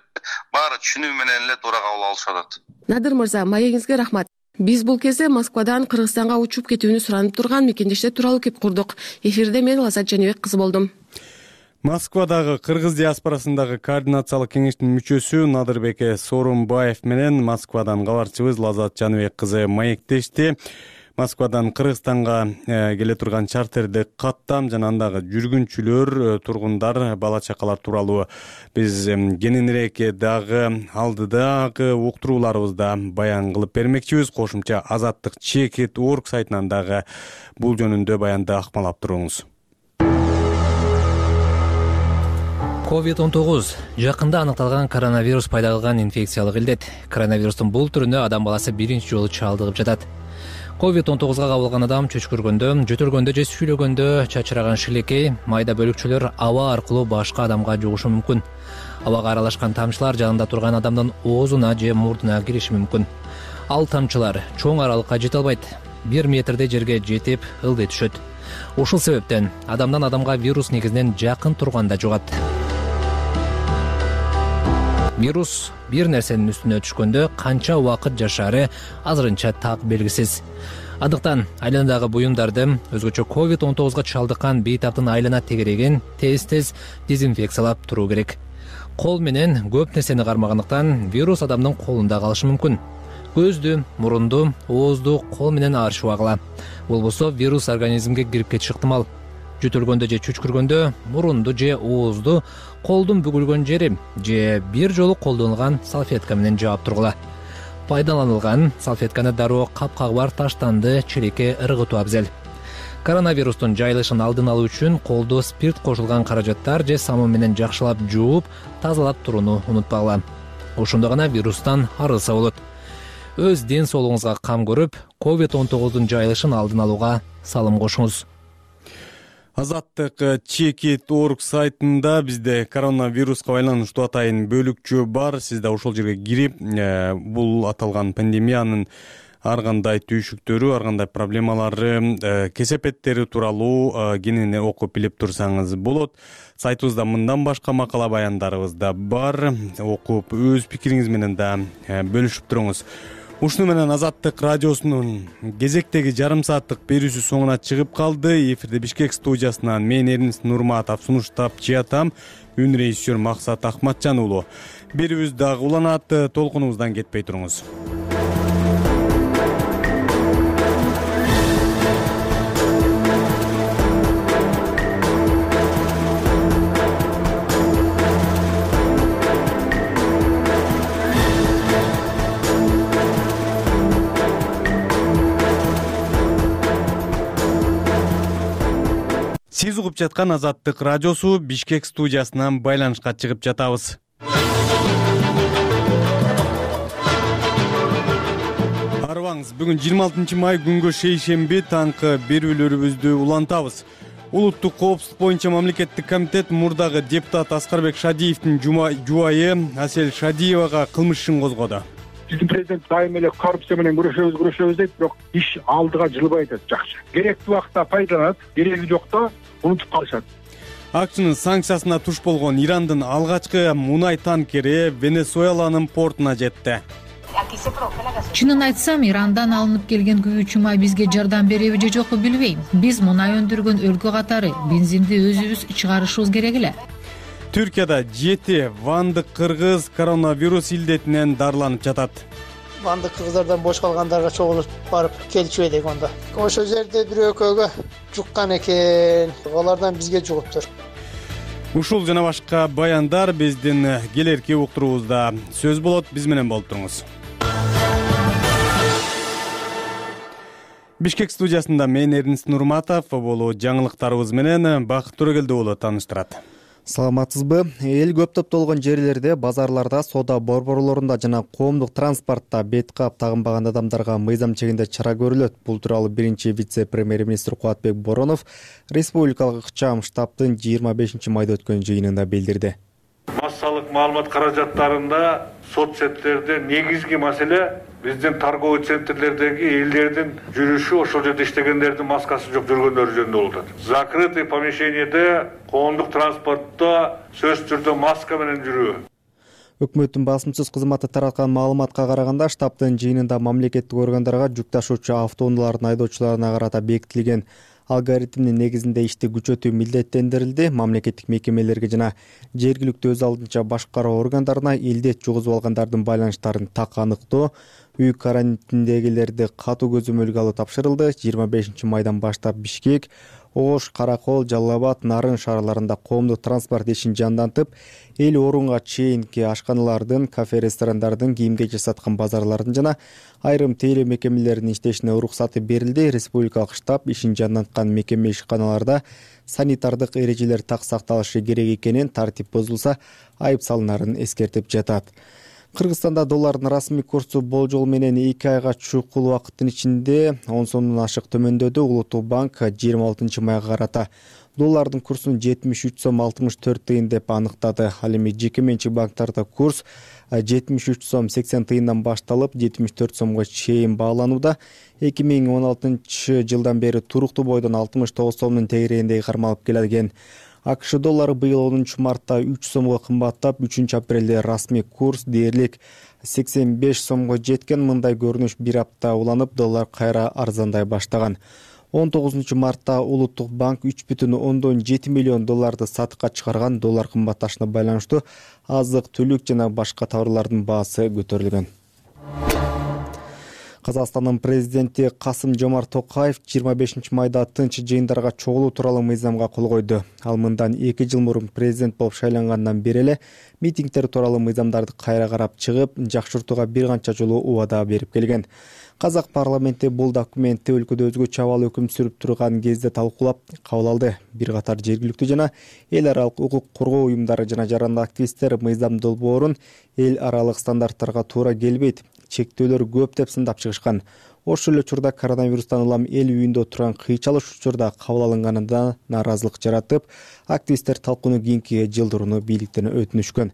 баары түшүнүү менен эле туура кабыл алышып атат. Надыр мырза, маегиңизге рахмат. Биз бул кезде Москвадан Кыргызстанга учуп кетүүнү суранып турган мекендештер тууралуу кеп курдук. Эфирде мен Лазат Жаныбек кызы болдум. Москвадагы кыргыз диаспорасындагы координациялык кеңештин мүчөсү Надырбеке Сооронбаев менен Москвадан кабарчыбыз Лазат Жаныбек кызы маектешти. Москвадан Кыргызстанга келе турган чартерди каттам жана андагы жүргүнчүлөр, тургундар, бала чакалар тууралуу биз кененирээк дагы алдыдагы уктурууларыбызда баян кылып бермекчибиз. Кошумча Азаттык Чекит.org сайтынан дагы бул жөнүндө баянды акмалап туруңуз. COVID-19 жакында аныкталган коронавирус пайда кылган инфекциялык илдет. Коронавирустун бул түрүнө адам баласы биринчи жолу чалдыгып жатат. COVID-19га кабылган адам чөчкүргөндө, жөтөлгөндө же сүйлөгөндө чачыраган шилекей, майда бөлүкчөлөр аба аркылуу башка адамга жугушу мүмкүн. Абага аралашкан тамчылар жанында турган адамдын оозуна же мурдуна кириши мүмкүн. Ал тамчылар чоң аралыкка жете албайт. 1 метрдей жерге жетип ылдый түшөт. Ушул себептен адамдан адамга вирус негизинен жакын турганда жугат. Вирус бир нерсенин үстүнө түшкөндө канча убакыт жашаары азырынча так белгисиз. Андыктан айланадагы буюмдарды, өзгөчө COVID-19га чалдыккан бейтаптын айлана тегерегин тез дезинфекциялап туруу керек. Кол менен көп нерсени кармагандыктан вирус адамдын колунда калышы мүмкүн. Көздү, мурунду, оозду кол менен аршып агыла. Болбосо вирус организмге кирип кетиши ыктымал. Жөтөлгөндө же чүчкүргөндө мурунду же оозду колдун бүгүлгөн жери же бир жолу колдонулган салфетка менен жаап тургула. Пайдаланылган салфетканы дароо капкагы бар таштанды челекке ыргытуу абзел. Коронавирустун жайылышын алдын алуу үчүн колду спирт кошулган каражаттар же самун менен жакшылап жууп, тазалап турууну унутпагыла. Ошондо гана вирустан арылса болот. Өз ден соолугуңузга кам көрүп, COVID-19дун жайылышын алдын алууга салым кошуңуз. Азаттык Чекит.org сайтында бизде коронавируска байланыштуу атайын бөлүкчө бар. Сиз да ошол жерге кирип, бул аталган пандемиянын ар кандай түйшүктөрү, ар кандай проблемалары, кесепеттери тууралуу кененирээк окуп билип турсаңыз болот. Сайтыбызда мындан башка макала баяндарыбыз да бар. Окуп өз пикириңиз менен да бөлүшүп туруңуз. Ушуну менен Азаттык радиосунун кезектеги жарым сааттык берүүсү соңуна чыгып калды. Эфирде Бишкек студиясынан мен Эрнис Нурматов, сунуштап чыятам, үн режиссер Максат Акматжан уулу. Берүүбүз дагы уланат, толкунубуздан кетпей туруңуз. Сиз угуп жаткан Азаттык радиосу Бишкек студиясынан байланышка чыгып жатабыз. Арыбаңыз, бүгүн 26 май күнгө шейшемби таңкы берүүлөрүбүздү улантабыз. Улуттук коопсуздук боюнча мамлекеттик комитет мурдагы депутат Аскарбек Шадиевдин жубайы Асель Шадиевага кылмыш ишин козгоду. Биздин президент дайым эле коррупция менен күрөшөбүз дейт, бирок иш алдыга жылбайт, жакшы. Керектүү убакта пайдаланат, кереги жокто унутуп калышат. АКШнын санкциясына туш болгон Ирандын алгачкы мунай танкери Венесуэланын портуна жетти. Чынын айтсам, Ирандан алынып келген күйүүчү май бизге жардам береби же жокпу билбейм. Биз мунай өндүргөн өлкө катары бензинди өзүбүз чыгарышыбыз керек эле. Түркияда 7 вандык кыргыз коронавирус илдетинен дарыланып жатат. Вандык кыргыздардан бош калгандарга чогулуп барып келчү элек онда. Ошол жерде бир экөөгө жуккан экен, алардан бизге жугуптур. Ушул жана башка баяндар биздин келерки уктуруубузда сөз болот, биз менен болуп туруңуз. Бишкек студиясында мен Эрнис Нурматов, бул жаңылыктарыбыз менен Бакыт Төрөгелди уулу тааныштырат. Саламатсызбы? Эл көп топтолгон жерлерде, базарларда, соода борборлорунда жана коомдук транспортто бет кап тагынбаган адамдарга мыйзам чегинде чара көрүлөт. Бул тууралуу биринчи вице-премьер-министр Кубатбек Боронов республикалык ыкчам штабтын 25 майда өткөн жыйынында билдирди. Массалык маалымат каражаттарында соцсеттерде негизги маселе биздин торговый центрлердеги элдердин жүрүшү, ошол жерде иштегендердин маскасы жок жүргөндөрү жөнүндө болуп атат. Закрытый помещениеде коомдук транспортто сөзсүз түрдө маска менен жүрүү. Өкмөттүн басымсыз кызматы тараткан маалыматка караганда, штабтын жыйынында мамлекеттик органдарга жүк ташуучу автоунаалардын айдоочуларына карата бекитилген алгоритмдин негизинде ишти күчөтүү милдеттендирилди. Мамлекеттик мекемелерге жана жергиликтүү өз алдынча башкаруу органдарына илдет жугузуп алгандардын байланыштарын так аныктоо, үй карантиндегилерди катуу көзөмөлгө алуу тапшырылды. 25 майдан баштап Бишкек, Ош, Каракол, Жалал Абад, Нарын шаарларында коомдук транспорт ишин жандантып, эл орунга чейинки ашканалардын, кафе-ресторандардын, кийим-кечек саткан базарлардын жана айрым тейлөө мекемелеринин иштешине уруксаты берилди. Республикалык штаб ишин жанданткан мекеме ишканаларда санитардык эрежелер так сакталышы керек экенин, тартип бузулса айып салынарын эскертип жатат. Кыргызстанда доллардын расмий курсу болжол менен 2 айга чукул убакыттын ичинде 10 сомдон ашык төмөндөдү. Улуттук банк 26 майга карата доллардын курсун 73 сом 64 тыйын деп аныктады. Ал эми жеке менчик банктарда курс 73 сом 80 тыйындан башталып 74 сомго чейин бааланууда. 2016 жылдан бери туруктуу бойдон 69 сомдун тегерегинде кармалып келген. АКШ доллары быйыл 10 мартта 3 сомго кымбаттап, 3 апрелде расмий курс дээрлик 85 сомго жеткен. Мындай көрүнүш бир апта уланып, доллар кайра арзандай баштаган. 19 мартта Улуттук банк 3,7 миллион долларды сатыкка чыгарган. Доллар кымбатташына байланыштуу азык-түлүк жана башка товарлардын баасы көтөрүлгөн. Казакстандын президенти Касым-Жомарт Токаев 25 майда тынч жыйындарга чогулуу тууралуу мыйзамга кол койду. Ал мындан 2 жыл мурун президент болуп шайлангандан бери эле митингдер тууралуу мыйзамдарды кайра карап чыгып, жакшыртууга бир канча жолу убада берип келген. Казак парламенти бул документти өлкөдө өзгөчө абал өкүм сүрүп турган кезде талкуулап кабыл алды. Бир катар жергиликтүү жана эл аралык укук коргоо уюмдары жана жарандык активисттер мыйзам долбоорун эл аралык стандарттарга туура келбейт, чектөөлөр көп деп сындап чыгышкан. Ошол эле учурда коронавирустан улам эл үйүндө турган кыйчалыш учурда кабыл алынганында нааразылык жаратып, активисттер талкууну кийинки жылдырууну бийликтен өтүнүшкөн.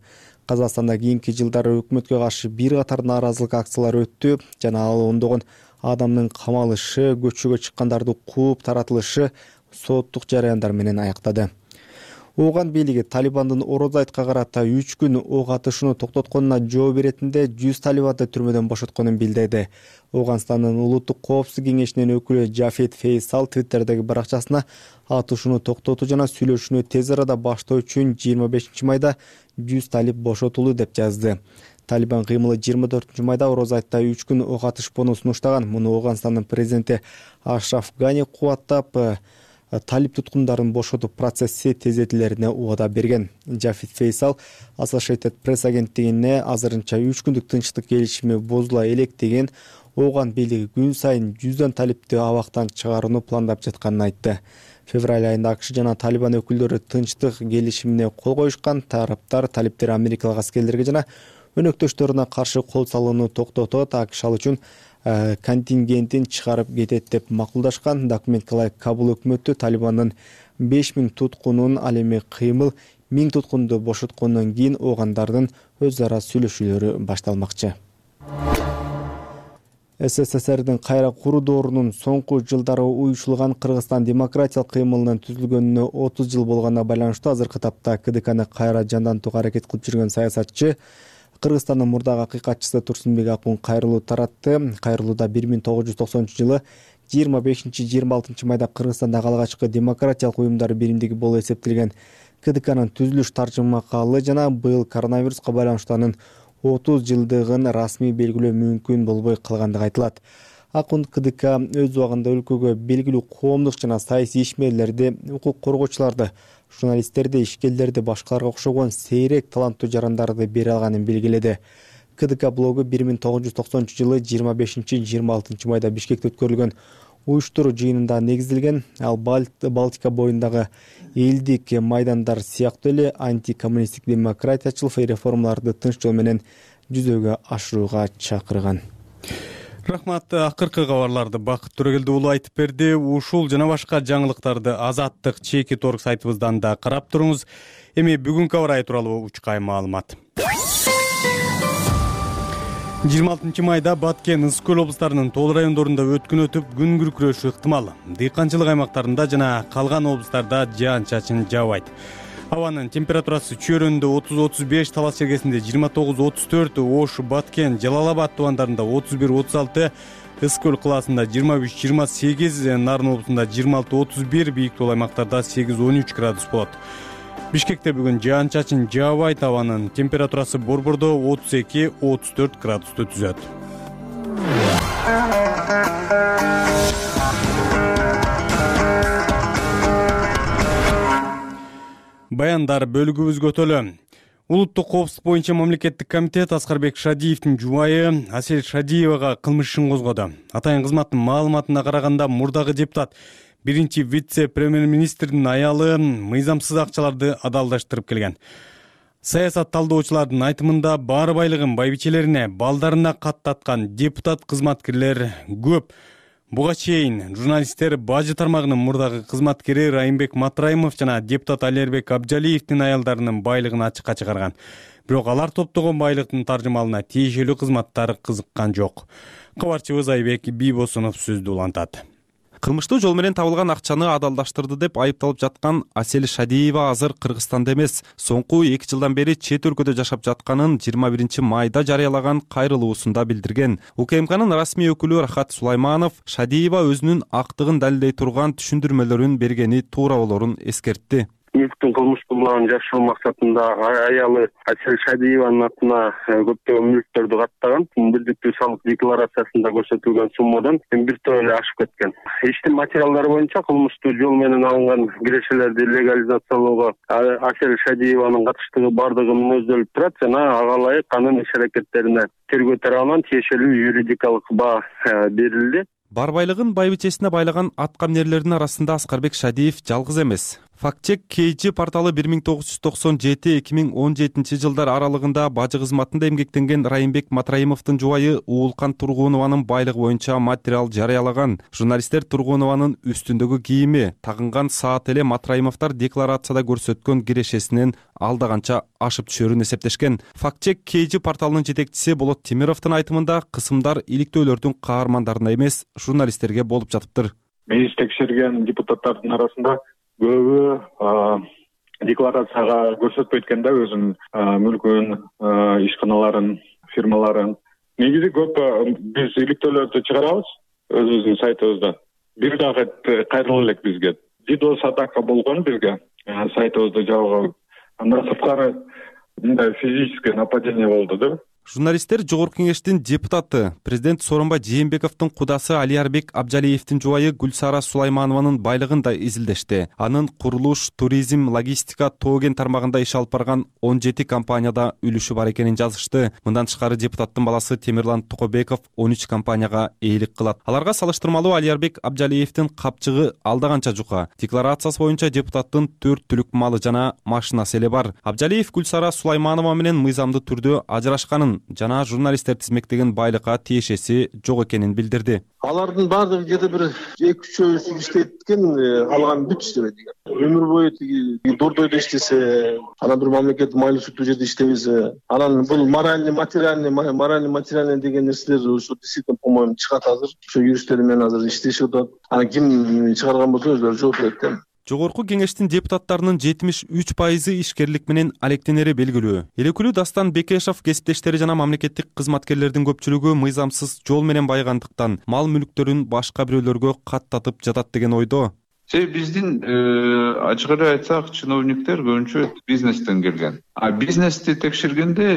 Казакстанда кийинки жылдары өкмөткө каршы бир катар нааразылык акциялары өттү жана ал ондогон адамдын камалышы, көчөгө чыккандарды кууп таратылышы соттук жараяндар менен аяктады. Ооган бийлиги Талибандын Ороз айтка карата 3 күн ок атышууну токтотконуна жооп беретинде 100 талибанды түрмөдөн бошотконун билдирди. Ооганстандын улуттук коопсуздук кеңешинин өкүлү Жафет Фейсал Твиттердеги баракчасына атышууну токтотуу жана сүйлөшүүнү тез арада баштоо үчүн 25 майда 100 талиб бошотулду деп жазды. Талибан кыймылы 24 майда Ороз айтта 3 күн ок атышпоону сунуштаган. Муну Ооганстандын президенти Ашраф Гани кубаттап, талиб туткундарын бошотуп процесси тездетилерине убада берген. Жафет Фейсал Associated Press агенттигине азырынча 3 күндүк тынчтык келишими бузула элек деген Ооган бийлиги күн сайын 100дан талибти абактан чыгарууну пландап жатканын айтты. Февраль айында АКШ жана Талибан өкүлдөрү тынчтык келишимине кол коюшкан. Тараптар талиптер америкалык аскерлерге жана өнөктөштөрүнө каршы кол салууну токтотот, АКШ ал үчүн контингентин чыгарып кетет деп макулдашкан. Документке ылайык Кабул өкмөтү Талибандын 5000 туткунун, ал эми кыймыл 1000 туткунду бошоткондон кийин оогандардын өз ара сүйлөшүүлөрү башталмакчы. СССРдин кайра куруу доорунун соңку жылдары уюшулган Кыргызстан демократиялык кыймылынын түзүлгөнүнө 30 жыл болгонуна байланыштуу азыркы тапта КДКны кайра жандантууга аракет кылып жүргөн саясатчы Кыргызстандын мурдагы акыйкатчысы Турсунбек Акун кайрылуу таратты. Кайрылууда 1990-жылы 25-26 майда Кыргызстандагы алгачкы демократиялык уюмдар биримдиги болуп эсептелген КДКнын түзүлүш таржымакалы жана быйыл коронавируска байланыштуу анын 30 жылдыгын расмий белгилөө мүмкүн болбой калгандыгы айтылат. Акун КДК өз убагында өлкөгө белгилүү коомдук жана саясий ишмерлерди, укук коргоочуларды, журналисттерди, ишкерлерди, башкаларга окшогон сейрек таланттуу жарандарды бере алганын белгиледи. КДК блогу 1990-жылы 25-26 майда Бишкекте өткөрүлгөн уюштуруу жыйынында негизделген. Ал Балтика боюндагы элдик майдандар сыяктуу эле антикоммунисттик демократиячыл реформаларды тынч жол менен жүзөгө ашырууга чакырган. Рахмат. Акыркы кабарларды Бакыт Төрөгелди уулу айтып берди. Ушул жана башка жаңылыктарды Азаттык чеки торг сайтыбыздан да карап туруңуз. Эми бүгүнкү аба ырайы тууралуу учкай маалымат. 26 майда Баткен, Ысык Көл облустарынын Тоол райондорунда өткүн өтүп, күн күркүрөшү ыктымал. Дыйканчылык аймактарында жана калган облустарда жаан-чачын жаабайт. Абанын температурасы Чөйрөндө 30-35, Талас чергесинде 29-34, Ош, Баткен, Жалал-Абад тубандарында 31-36, Ысык Көл кылаасында 23-28, Нарын облусунда 26-31, Бийик Тоол аймактарда 8-13 градус болот. Бишкекте бүгүн жаан-чачын жаабайт, абанын температурасы Борбордо 32-34 градусту түзөт. Баяндар бөлүгүбүз көтөлө. Улуттук коопсуздук боюнча мамлекеттик комитет Аскарбек Шадиевдин жубайы Асель Шадиевага кылмыш ишин козгоду. Атайын кызматтын маалыматына караганда, мурдагы депутат биринчи вице-премьер-министрдин аялы мыйзамсыз акчаларды адалдаштырып келген. Саясат талдоочулардын айтымында баары байлыгын байбичелерине, балдарына каттаткан депутат кызматкерлер көп. Буга чейин журналисттер бажы тармагынын мурдагы кызматкери Райымбек Матраимов жана депутат Алербек Абжалиевдин аялдарынын байлыгын ачыкка чыгарган. Бирок алар топтогон байлыктын таржымалына тиешелүү кызматтар кызыккан жок. Кабарчыбыз Айбек Бийбосунов сөздү улантат. Кылмыштуу жол менен табылган акчаны адалдаштырды деп айыпталып жаткан Асель Шадиева азыр Кыргызстанда эмес, соңку 2 жылдан бери чет өлкөдө жашап жатканын 21 майда жарыялаган кайрылуусунда билдирген. УКМКнын расмий өкүлү Рахат Сулайманов Шадиева өзүнүн актыгын далилдей турган түшүндүрмөлөрүн бергени туура болорун эскертти. Мүлктүн кылмыштуулугун жашыруу максатында аялы Асель Шадиеванын атына көптөгөн мүлктөрдү каттаган. Бирдиктүү салык декларациясында көрсөтүлгөн суммадан биртөө эле ашып кеткен. Иштин материалдары боюнча кылмыштуу жол менен алынган кирешелерди легализациялоого Асель Шадиеванын катыштыгы бардыгы мүнөздөлүп турат жана ага ылайык анын иш-аракеттерине тергөө тарабынан тиешелүү юридикалык баа берилди. Бар байлыгын байбичесине байлаган аткаминерлердин арасында Аскарбек Шадиев жалгыз эмес. Фактчек KG порталы 1997-2017 жылдар аралыгында бажы кызматында эмгектенген Райымбек Матраимовдун жубайы Уулкан Тургунованын байлыгы боюнча материал жарыялаган. Журналисттер Тургунованын үстүндөгү кийими, тагынган саат эле Матраимовдор декларацияда көрсөткөн кирешесинен алдаганча ашып түшөрүн эсептешкен. Фактчек KG порталынын жетекчиси Болот Темировдун айтымында кысымдар иликтөөлөрдүн каармандарына эмес, журналисттерге болуп жатыптыр. Биз текшерген депутаттардын арасында көбү декларацияга көрсөтпөйт экен да өзүнүн мүлкүн, ишканаларын, фирмаларын. Негизи көп биз иликтөөлөрдү чыгарабыз өзүбүздүн сайтыбызда. Бир дагы кайрыла элек бизге. DDoS атака болгон бизге сайтыбызды жабып, андан сырткары мындай физическое нападение болду да. Журналисттер Жогорку кеңештин депутаты, президент Сооронбай Жээнбековдун кудасы Алиярбек Абжалиевдин жубайы Гүлсара Сулайманованын байлыгын да изилдешти. Анын курулуш, туризм, логистика, тоо-кен тармагында иш алып барган 17 компанияда үлүшү бар экенин жазышты. Мындан тышкары депутаттын баласы Темирлан Токобеков 13 компанияга ээлик кылат. Аларга салыштырмалуу Алиярбек Абжалиевдин капчыгы алда канча жука. Декларациясы боюнча депутаттын 4 түлүк малы жана машинасы эле бар. Абжалиев Гүлсара Сулайманова менен мыйзамдуу түрдө ажырашканын жана журналисттер тизмектеген байлыкка тиешеси жок экенин билдирди. Алардын баардыгы где-то бир 2-3 иштейт экен, калган бүт иштебейт экен. Өмүр бою тиги дордойдо иштесе, анан бир мамлекеттик майлуу сүттүү жерде иштебесе, анан бул моральный материальный деген нерселер ушу действительно, по-моему, чыгат азыр. Ошо юристтер менен азыр иштешип атат. Анан ким чыгарган болсо өзүлөрү жооп берет да. Жогорку кеңештин депутаттарынын 73% ишкерлик менен алектенери белгилүү. Элекүлүү Дастан Бекешов кесиптештери жана мамлекеттик кызматкерлердин көпчүлүгү мыйзамсыз жол менен байгандыктан мал мүлктөрүн башка бирөөлөргө каттатып жатат деген ойдо. Биздин ачык эле айтсак, чиновниктер көбүнчө бизнестен келген. Бизнести текшергенде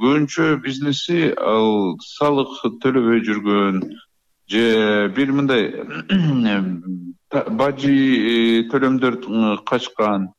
көбүнчө бизнеси ал салык төлөбөй жүргөн же бир мындай бажы төлөмдөр качкан.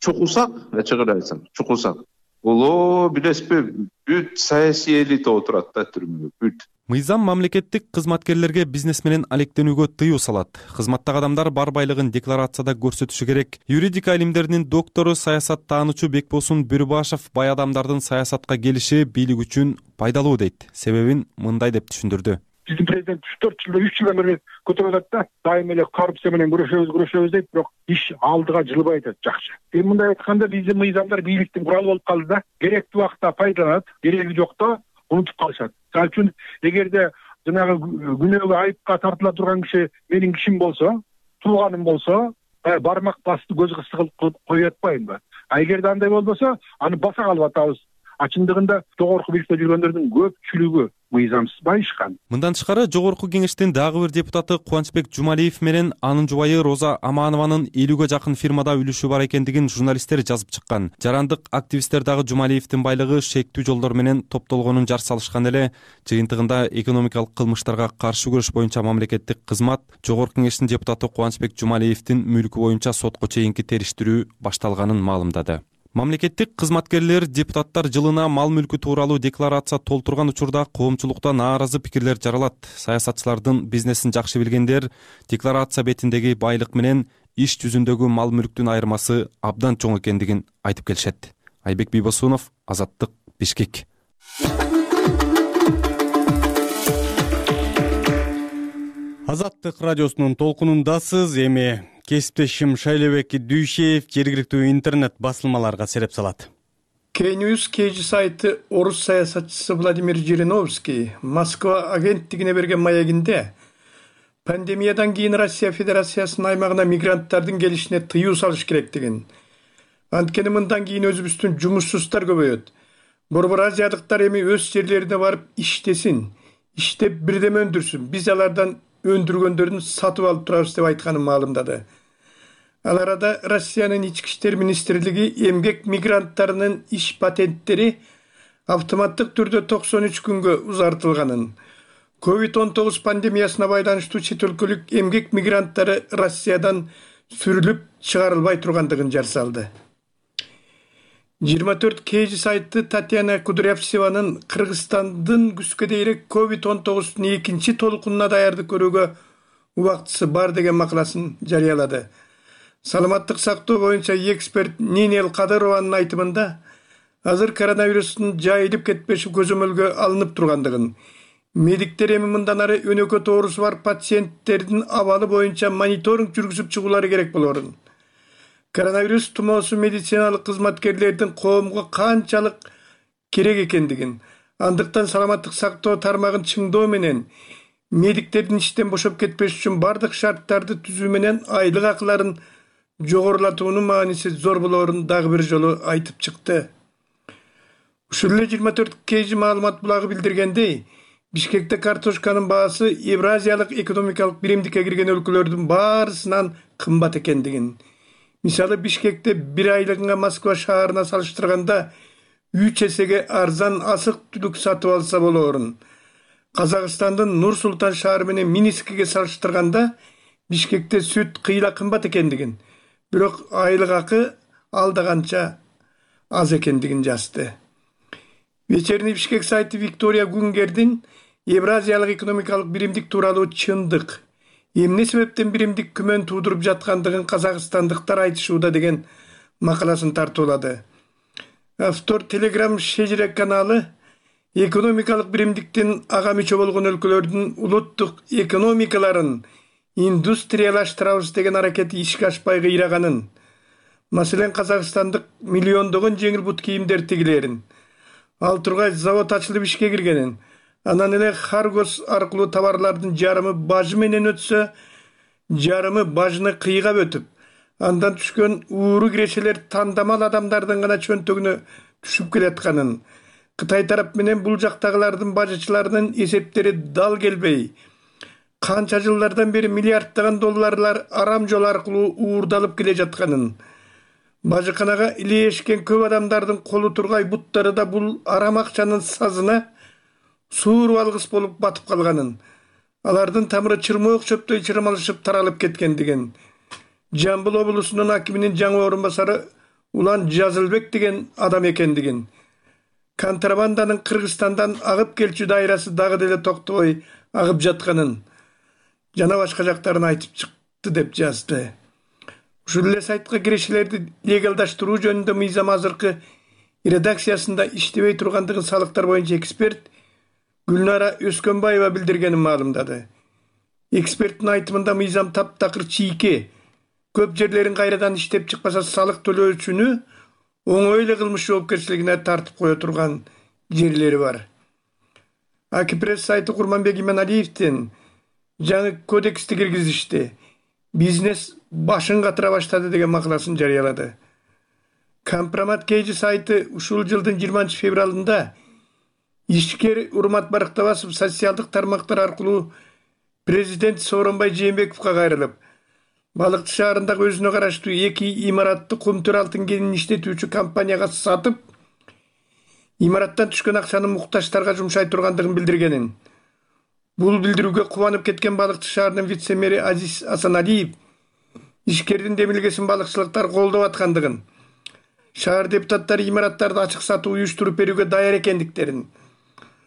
Чукулсак, ачык эле айтсам, чукулсак. Бул билесизби, бүт саясий элита отурат да түрмөгө, бүт. Мыйзам мамлекеттик кызматкерлерге бизнес менен алектенүүгө тыюу салат. Кызматтагы адамдар бар байлыгын декларацияда көрсөтүшү керек. Юридика илимдеринин доктору, саясат таануучу Бекбосун Бүрүбашев бай адамдардын саясатка келиши бийлик үчүн пайдалуу дейт. Себебин мындай деп түшүндүрдү. Биздин президент 3 жылдан бери көтөрүп атат да, дайым эле коррупция менен күрөшөбүз дейт, бирок иш алдыга жылбай атат жакшы. Мындай айтканда биздин мыйзамдар бийликтин куралы болуп калды да. Керектүү убакта пайдаланат, кереги жокто унутуп калышат. Ал үчүн эгерде жанагы күнөөгө айыпка тартыла турган киши менин кишим болсо, тууганым болсо, бармак басты көз кысты кылып кое атпайынбы? Эгерде андай болбосо, аны баса калып атабыз. Чындыгында жогорку бийликте жүргөндөрдүн көпчүлүгү мыйзамсыз байышкан. Мындан тышкары Жогорку кеңештин дагы бир депутаты Кубанычбек Жумалиев менен анын жубайы Роза Аманованын 50ге жакын фирмада үлүшү бар экендигин журналисттер жазып чыккан. Жарандык активисттер дагы Жумалиевдин байлыгы шектүү жолдор менен топтолгонун жар салышкан эле. Жыйынтыгында экономикалык кылмыштарга каршы күрөш боюнча мамлекеттик кызмат Жогорку кеңештин депутаты Кубанычбек Жумалиевдин мүлкү боюнча сотко чейинки териштирүү башталганын маалымдады. Мамлекеттик кызматкерлер, депутаттар жылына мал мүлкү тууралуу декларация толтурган учурда коомчулукта нааразы пикирлер жаралат. Саясатчылардын бизнесин жакшы билгендер декларация бетиндеги байлык менен иш жүзүндөгү мал мүлктүн айырмасы абдан чоң экендигин айтып келишет. Айбек Бийбосунов, Азаттык, Бишкек. Азаттык радиосунун толкунундасыз. Эми кесиптешим Шайлебек Дүйшеев жергиликтүү интернет басылмаларга сереп салат. K-News KG сайты орус саясатчысы Владимир Жириновский Москва агенттигине берген маегинде пандемиядан кийин Россия Федерациясынын аймагына мигранттардын келишине тыюу салыш керектигин, анткени мындан кийин өзүбүздүн жумушсуздар көбөйөт. Борбор азиядыктар эми өз жерлерине барып иштесин, иштеп бирдеме өндүрсүн, биз алардан өндүргөндөрүн сатып алып турабыз деп айтканын маалымдады. Ал арада Россиянын ички иштер министрлиги эмгек мигранттарынын иш патенттери автоматтык түрдө 93 күнгө узартылганын, COVID-19 пандемиясына байланыштуу чет өлкөлүк эмгек мигранттары Россиядан сүрүлүп чыгарылбай тургандыгын жар салды. 24 KG сайты Татьяна Кудрявцеванын Кыргызстандын күзгө дейрек COVID-19 экинчи толкунуна даярдык көрүүгө убактысы бар деген макаласын жарыялады. Саламаттык сактоо боюнча эксперт Нинел Кадырованын айтымында азыр коронавирустун жайылып кетпеши көзөмөлгө алынып тургандыгын, медиктер эми мындан ары өнөкөт оорусу бар пациенттердин абалы боюнча мониторинг жүргүзүп чыгуулары керек болорун, коронавирус тумоосу медициналык кызматкерлердин коомго канчалык керек экендигин, андыктан саламаттык сактоо тармагын чыңдоо менен медиктердин иштен бошоп кетпеш үчүн бардык шарттарды түзүү менен айлык акыларын жогорулатуунун мааниси зор болоорун дагы бир жолу айтып чыкты. Ушул эле 24 kg маалымат булагы билдиргендей, Бишкекте картошканын баасы Евразиялык экономикалык биримдикке кирген өлкөлөрдүн баарысынан кымбат экендигин. Мисалы Бишкекте бир айлыгына Москва шаарына салыштырганда 3 эсеге арзан асык-түлүк сатып алса болоорун. Казакстандын Нур-Султан шаары менен Минскиге салыштырганда Бишкекте сүт кыйла кымбат экендигин, бирок айлык акы алда канча аз экендигин жазды. Вечерний Бишкек сайты Виктория Гунгердин Евразиялык экономикалык биримдик тууралуу чындык, эмне себептен биримдик күмөн туудуруп жаткандыгын казакстандыктар айтышууда деген макаласын тартуулады. Автор Telegram Шежирек каналы экономикалык биримдиктин ага мүчө болгон өлкөлөрдүн улуттук экономикаларын индустриялаштырабыз деген аракети ишке ашпай кыйраганын, маселен Казакстандык миллиондогон жеңил бут кийимдер тигилерин, ал тургай завод ачылып ишке киргенин, анан эле Харгос аркылуу товарлардын жарымы бажы менен өтсө, жарымы бажыны кыйгап өтүп, андан түшкөн ууру кирешелер тандамал адамдардын гана чөнтөгүнө түшүп келатканын, Кытай тарап менен бул жактагылардын бажычыларынын эсептери дал келбей, канча жылдардан бери миллиарддаган долларлар арам жол аркылуу уурдалып келе жатканын, бажыканага илешкен көп адамдардын колу тургай буттары да бул арам акчанын сазына сууруп алгыс болуп батып калганын, алардын тамыры чырмоок чөптөй чырмалышып таралып кеткендигин, Жамбыл облусунун акиминин жаңы орун басары Улан Жазылбек деген адам экендигин, контрабанданын Кыргызстандан агып келчү дайрасы дагы деле токтобой агып жатканын жана башка жактарын айтып чыкты деп жазды. Ушул эле сайтка кирешелерди легалдаштыруу жөнүндө мыйзам азыркы редакциясында иштебей тургандыгын салыктар боюнча эксперт Гүлнара Өскөнбаева билдиргенин маалымдады. Эксперттин айтымында мыйзам таптакыр чийке, көп жерлерин кайрадан иштеп чыкпаса салык төлөөчүнү оңой эле кылмыш жоопкерчилигине тартып кое турган жерлери бар. Акипресс сайты Курманбек Иманалиевдин жаңы кодексти киргизишти, бизнес башын катыра баштады деген макаласын жарыялады. Компромат KG сайты ушул жылдын 20 февралында ишкер Урмат Барктабасов социалдык тармактар аркылуу президент Сооронбай Жээнбековго кайрылып, Балыкчы шаарындагы өзүнө караштуу 2 имаратты Кумтөр алтын кенин иштетүүчү компанияга сатып, имараттан түшкөн акчаны муктаждарга жумшай тургандыгын билдиргенин. Бул билдирүүгө кубанып кеткен Балыкчы шаарынын вице-мэри Азиз Асаналиев ишкердин демилгесин балыкчылыктар колдоп аткандыгын, шаар депутаттары имараттарды ачык сатуу уюштуруп берүүгө даяр экендиктерин,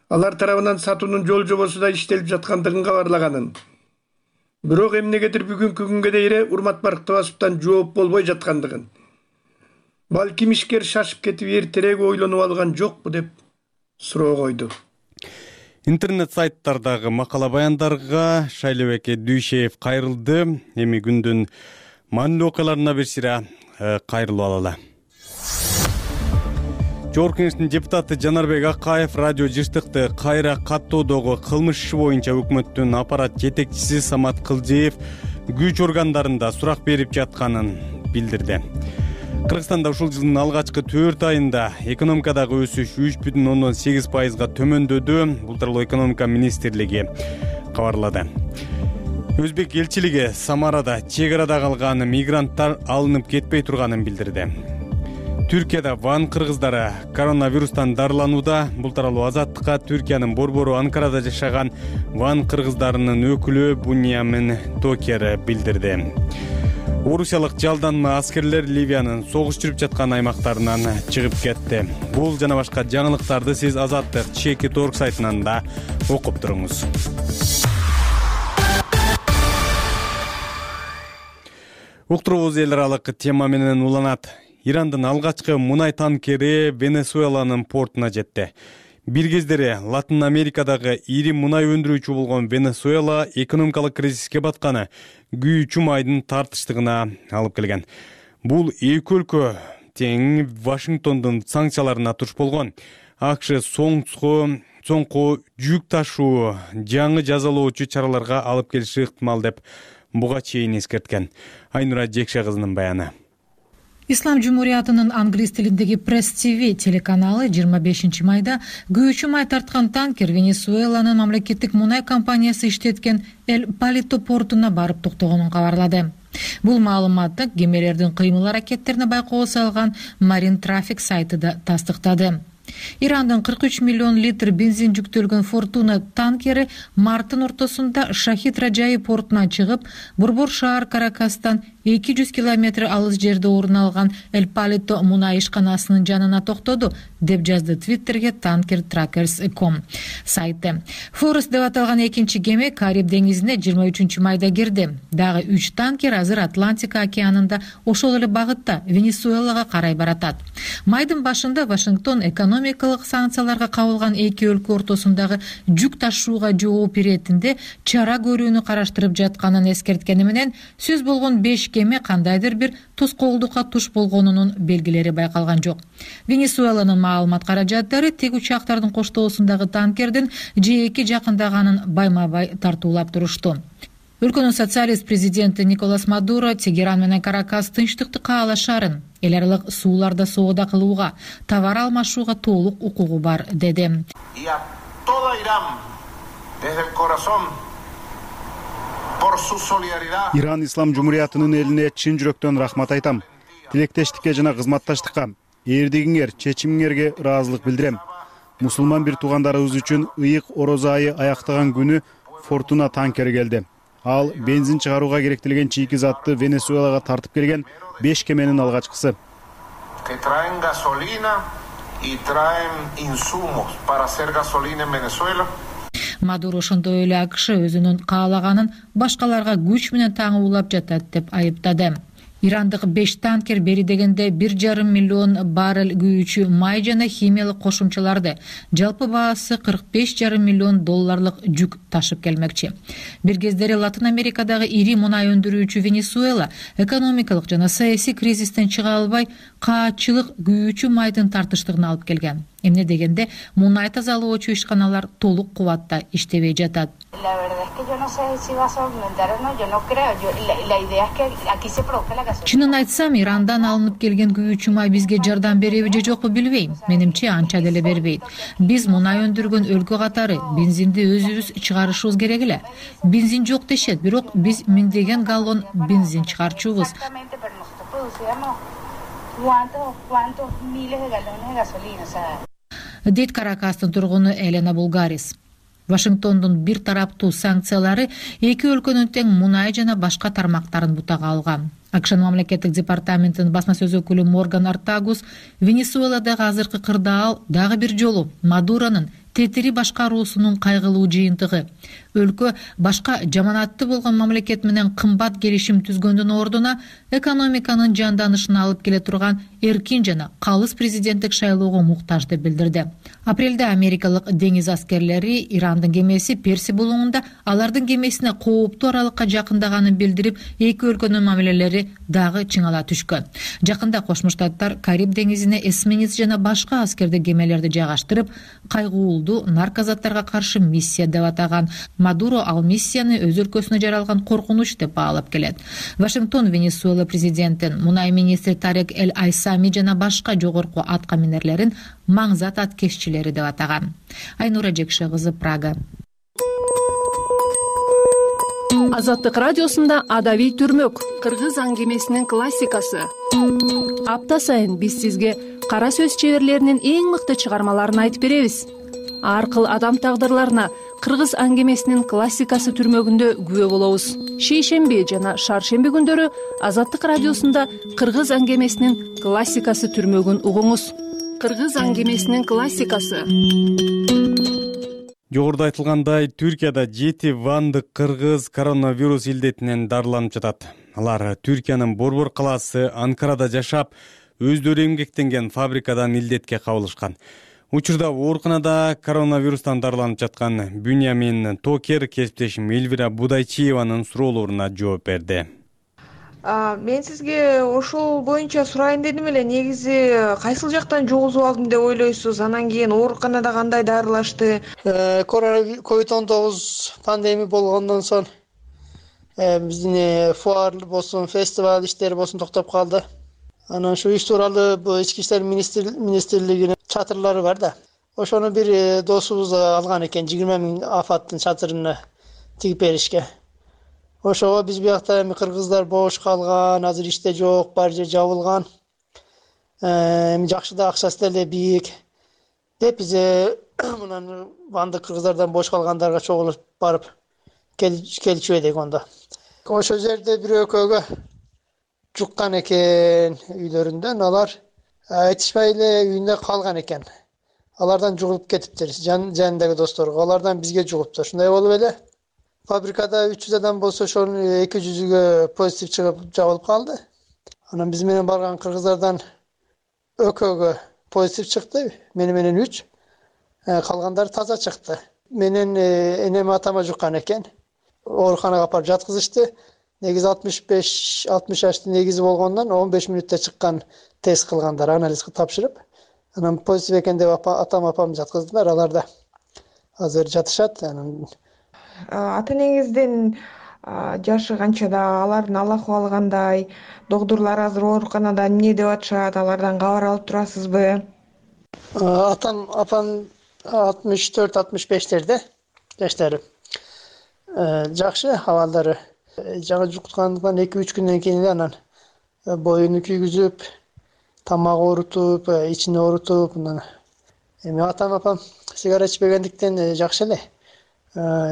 алар тарабынан сатуунун жол жобосу да иштелип жаткандыгын кабарлаганын. Бирок эмнегедир бүгүнкү күнгө дейин Урмат Барктабасовдон жооп болбой жаткандыгын, балким ишкер шашып кетип эртерээк ойлонуп алган жокпу деп суроо койду. Интернет сайттардагы макала баяндарга Шайлебек Дүйшеев кайрылды. Эми күндүн маанилүү окуяларына бир сыйра кайрылып алалы. Жогорку Кеңештин депутаты Жанарбек Акаев радио жыштыкты кайра каттоодогу кылмыш иши боюнча өкмөттүн аппарат жетекчиси Самат Кылжеев күч органдарында сурак берип жатканын билдирди. Кыргызстанда ушул жылдын алгачкы 4 айында экономикадагы өсүш 3,8%га төмөндөдү. Бул тууралуу экономика министрлиги кабарлады. Өзбек элчилиги Самарада чек арада калган мигранттар алынып кетпей турганын билдирди. Түркияда ван кыргыздары коронавирустан дарыланууда. Бул тууралуу Азаттыкка Түркиянын борбору Анкарада жашаган ван кыргыздарынын өкүлү Буньямин Токер билдирди. Орусиялык жалданма аскерлер Ливиянын согуш жүрүп жаткан аймактарынан чыгып кетти. Бул жана башка жаңылыктарды сиз Азаттык Чеки.org сайтынан да окуп туруңуз. Уктуруубуз эл аралык тема менен уланат. Ирандын алгачкы мунай танкери Венесуэланын портуна жетти. Бир кездери Латын Америкадагы ири мунай өндүрүүчү болгон Венесуэла экономикалык кризиске батканы күйүүчү майдын тартыштыгына алып келген. Бул эки өлкө тең Вашингтондун санкцияларына туш болгон. АКШ соңку жүк ташуу жаңы жазалоочу чараларга алып келиши ыктымал деп буга чейин эскерткен. Айнура Жекше кызынын баяны. Ислам Жумуриятынын англис тилиндеги Press TV телеканалы 25 майда күйүүчү май тарткан танкер Венесуэланын мамлекеттик мунай компаниясы иштеткен Эль Палито портуна барып токтогонун кабарлады. Бул маалыматты кемелердин кыймыл аракеттерине байкоо салган Marine Traffic сайты да тастыктады. Ирандын 43 миллион литр бензин жүктөлгөн Фортуна танкери марттын ортосунда Шахид Раджаи портуна чыгып, Борбор шаар Каракастан 200 километр алыс жерде орун алган Эль Палито мунай ишканасынын жанына токтоду, деп жазды Твиттерге Tanker Trackers.com сайты. Форест деп аталган экинчи кеме Кариб деңизине 23 майда кирди. Дагы 3 танкер азыр Атлантика океанында ошол эле багытта Венесуэлага карай баратат. Майдын башында Вашингтон экономикалык санкцияларга кабылган эки өлкө ортосундагы жүк ташууга жооп иретинде чара көрүүнү караштырып жатканын эскерткени менен, сөз болгон 5 кеме кандайдыр бир тоскоолдукка туш болгонунун белгилери байкалган жок. Венесуэланын маалымат каражаттары тек учактардын коштоосундагы танкердин жээки жакындаганын байма-бай тартуулап турушту. Өлкөнүн социалист президенти Николас Мадуро Тегеран менен Каракас тынчтыкты каалашарын, эл аралык сууларда соода кылууга, товар алмашууга толук укугу бар, деди. Иран Ислам Жумуриятынын элине чын жүрөктөн рахмат айтам. Тилектештикке жана кызматташтыкка, эрдигиңер, чечимиңерге ыраазылык билдирем. Мусулман бир туугандарыбыз үчүн ыйык орозо айы аяктаган күнү Фортуна танкери келди. Ал бензин чыгарууга керектелген чийки затты Венесуэлага тартып келген 5 кеменин алгачкысы. Мадуро ошондой эле АКШ өзүнүн каалаганын башкаларга күч менен таңуулап жатат деп айыптады. Ирандык 5 танкер бери дегенде 1,5 миллион баррель күйүүчү май жана химиялык кошумчаларды, жалпы баасы $45,5 миллион жүк ташып келмекчи. Бир кездери Латын Америкадагы ири мунай өндүрүүчү Венесуэла экономикалык жана саясий кризистен чыга албай, каатчылык күйүүчү майдын тартыштыгына алып келген. Эмне дегенде мунай тазалоочу ишканалар толук кубатта иштебей жатат. Чынын айтсам, Ирандан алынып келген күйүүчү май бизге жардам береби же жокпу билбейм. Менимче анча деле бербейт. Биз мунай өндүргөн өлкө катары бензинди өзүбүз чыгарышыбыз керек эле. Бензин жок дешет, бирок биз миңдеген галлон бензин чыгарчубуз. Дейт Каракастын тургуну Елена Булгарис. Вашингтондун бир тараптуу санкциялары эки өлкөнүн тең мунай жана башка тармактарын бутага алган. АКШнын мамлекеттик департаментинин басма сөз өкүлү Морган Артагус Венесуэладагы азыркы кырдаал дагы бир жолу Мадуронун тетири башкаруусунун кайгылуу жыйынтыгы. Өлкө башка жаманатты болгон мамлекет менен кымбат келишим түзгөндүн ордуна экономиканын жанданышына алып келе турган эркин жана калыс президенттик шайлоого муктаж деп билдирди. Апрелде америкалык деңиз аскерлери Ирандын кемеси Перси булуңунда алардын кемесине кооптуу аралыкка жакындаганын билдирип, эки өлкөнүн мамилелери дагы чыңала түшкөн. Жакында Кошмо Штаттар Кариб деңизине эсминец жана башка аскердик кемелерди жайгаштырып, кайгуулуу наркозаттарга каршы миссия деп атаган. Мадуро ал миссияны өз өлкөсүнө жаралган коркунуч деп баалап келет. Вашингтон Венесуэла президентин, мунай министри Тарек Эль Айсами жана башка жогорку атка минерлерин маңзат аткезчилери деп атаган. Айнура Жекше кызы, Прага. Азаттык радиосунда Адабий түрмөк, кыргыз аңгемесинин классикасы. Апта сайын биз сизге кара сөз чеберлеринин эң мыкты чыгармаларын айтып беребиз. Ар кыл адам тагдырларына кыргыз аңгемесинин классикасы түрмөгүндө күбө болобуз. Шейшемби жана шаршемби күндөрү Азаттык радиосунда кыргыз аңгемесинин классикасы түрмөгүн угуңуз. Кыргыз аңгемесинин классикасы. Жогоруда айтылгандай, Түркияда 7 вандык кыргыз коронавирус илдетинен дарыланып жатат. Алар Түркиянын Борбор калаасы Анкарада жашап, өздөрү эмгектенген фабрикадан илдетке кабылышкан. Учурда ооруканада коронавирустан дарыланып жаткан Бюньямин Токер кесиптешим Эльвира Будайчиеванын суроолоруна жооп берди. Мен сизге ошол боюнча сурайын дедим эле. Негизи кайсыл жактан жугузуп алдым деп ойлойсуз? Анан кийин ооруканада кандай дарылашты? COVID-19 пандемия болгондон соң биздин фуар болсун, фестиваль иштери болсун токтоп калды. Анан ушу иш тууралуу Ички иштер министрлигинин чатырлары бар да. Ошону бир досубуз алган экен 20 000 афаттын чатырына тигип беришке. Ошого биз биякта эми кыргыздар бош калган, азыр иште жок, бар жер жабылган. Эми жакшы да акчасы деле бийик деп биз мынан бандык кыргыздардан бош калгандарга чогулуп барып келчү эдик онда. Ошол жерде бир экөөгө жуккан экен үйлөрүндөн, алар айтышпай эле үйүндө калган экен. Алардан жугулуп кетиптир, жанындагы досторго. Алардан бизге жугуптур. Ушундай болуп эле фабрикада 300 адам болсо, ошонун 200-үгө позитив чыгып жабылып калды. Анан биз менен барган кыргыздардан экөөгө позитив чыкты, менен 3. Калгандар таза чыкты. Менен энем атама жуккан экен. Ооруканага апарып жаткызышты. Негизи 65-60 жаштын негизи болгондон 15 мүнөттө чыккан тест кылгандар, анализ тапшырып. Анан позитив экен деп атам жаткыздылар. Алар да азыр жатышат. Ата-энеңиздин жашы канчада, алардын Аллаху кандай, доктурлар азыр ооруканада эмне деп атышат, алардан кабар алып турасызбы? Атам, апам 64-65-терде жаштары. Жакшы абалдары. Жаңы жуктукандыктан 2-3 күндөн кийин анан боюну күйгүзүп, тамак оорутуп, ичине оорутуп, эми атам сигара ичпегендиктен жакшы эле.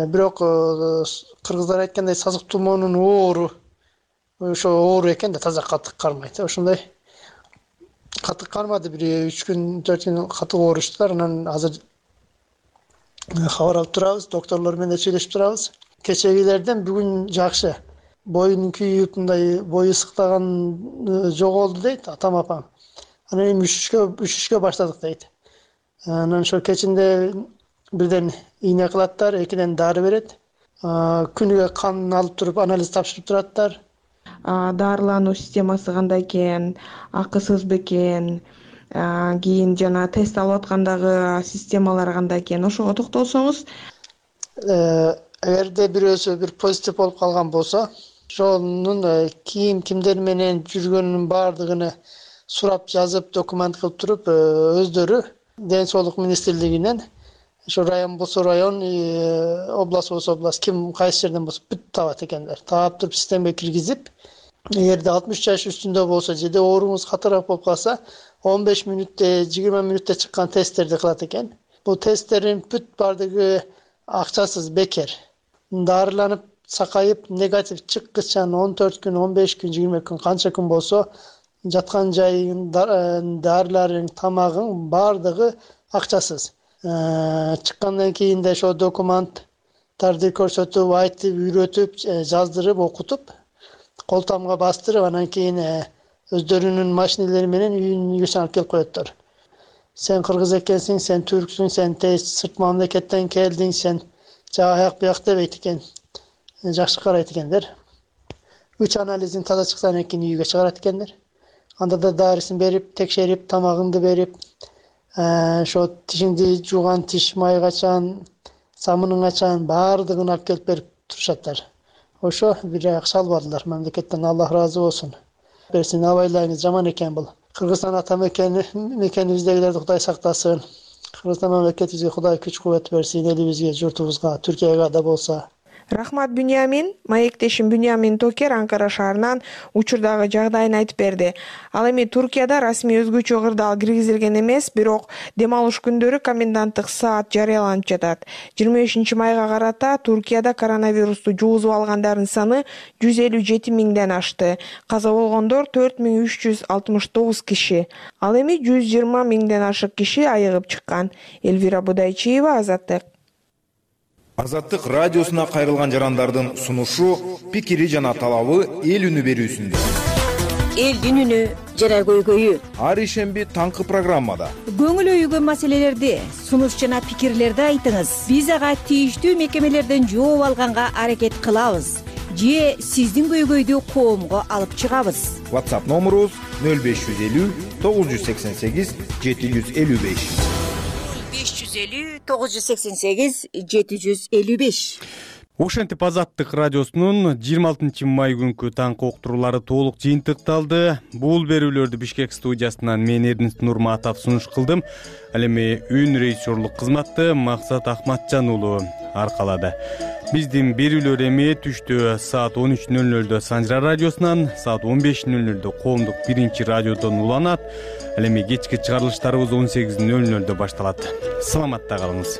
Бирок кыргыздар айткандай сазык тумоонун оору, ошо оору экен да, таза катык кармайт. Ошондой катык кармады, бир 3 күн, 4 күн катык ооруштулар. Анан азыр кабар алып турабыз, доктурлор менен сүйлөшүп турабыз. Кечегилерден бүгүн жакшы. Боюн күйүп, мындай бою сыктаган жоголду дейт атам апам. Анан эми üşүшкө баштадык дейт. Анан ошо кечинде бирден ийне кылаттар, экиден дары берет. Күнүгө кан алып туруп, анализ тапшырып тураттар. Дарылануу системасы кандай экен, акысыз бекен, кийин жана тест алып аткандагы системалар кандай экен, ошого токтолсоңуз. Эгерде бирөөсү бир позитив болуп калган болсо, ошонун кимдер менен жүргөнүнүн баардыгын сурап жазып, документ кылып туруп, өздөрү Ден соолук министрлигинен, ошо район болсо район, область болсо область, ким кайсы жерден болсо бүт табат экендер. Таап туруп системага киргизип, эгерде 60 жаш үстүндө болсо, жеде ооруңуз катыраак болуп калса, 15 мүнөттө, 20 мүнөттө чыккан тесттерди кылат экен. Бул тесттердин бүт баардыгы акчасыз, бекер. Дарыланып, сакайып, негатив чыккычан 14 күн, 15 күн, 20 күн, канча күн болсо, жаткан жайың, дарыларың, тамагың баардыгы акчасыз. Чыккандан кийин да ошо документтарды көрсөтүп, айтып, үйрөтүп, жаздырып, окутуп, кол тамга бастырып, анан кийин өздөрүнүн машинелери менен үйүңө алып келип коеттор. Сен кыргыз экенсиң, сен түрксүң, сен сырт мамлекеттен келдиң, сен аяк бияк дебейт экен. Жакшы карайт экендер. 3 анализин таза чыксан кийин үйгө чыгарат экендер. Анда да дарысын берип, текшерип, тамагыңды берип, ошо тишиңди жууган тиш майгачан, самының ачан баардыгын алып келип берип турушаттар. Ошо бир акча албадылар. Мамлекеттен Аллах ыраазы болсун. Берсин, абайларыңыз жаман экен бул. Кыргызстан ата мекенибиздегилерди Кудай сактасын. Кыргызстан мамлекетибизге Кудай күч кубат берсин, элибизге, журтубузга, Түркияга да болсо. Рахмат Бюнямин, маектешим Бюнямин Токер Анкара шаарынан учурдагы жагдайын айтып берди. Ал эми Туркияда расмий өзгөчө кырдаал киргизилген эмес, бирок дем алыш күндөрү коменданттык саат жарыяланып жатат. 25 майга карата Туркияда коронавирусту жугузуп алгандардын саны 157 000ден ашты. Каза болгондор 4369 киши. Ал эми 120 000ден ашык киши айыгып чыккан. Элвира Будайчиева, Азаттык. Азаттык радиосуна кайрылган жарандардын сунушу, пикири жана талабы эл үнү берүүсүндө. Элдин үнү жана көйгөйү. Ар ишемби таңкы программада. Көңүл өйгөн маселелерди, сунуш жана пикирлерди айтыңыз. Биз ага тийиштүү мекемелерден жооп алганга аракет кылабыз. Же сиздин көйгөйдү коомго алып чыгабыз. WhatsApp номерубуз 0550 988 755. 550 988 755. Ошентип Азаттык радиосунун 26 май күнкү таңкы уктуруулары толук жыйынтыкталды. Бул берүүлөрдү Бишкек студиясынан мен Эрдинст Нурматов сунуш кылдым. Ал эми үн режиссерлук кызматты Максат Ахматжан уулу аркалады. Биздин берүүлөр эми түштө саат 13:00 Санжара радиосунан, саат 15:00 Коомдук 1-радиодон уланат. Ал эми кечки чыгарылыштарыбыз 18:00 башталат. Саламатта калыңыз.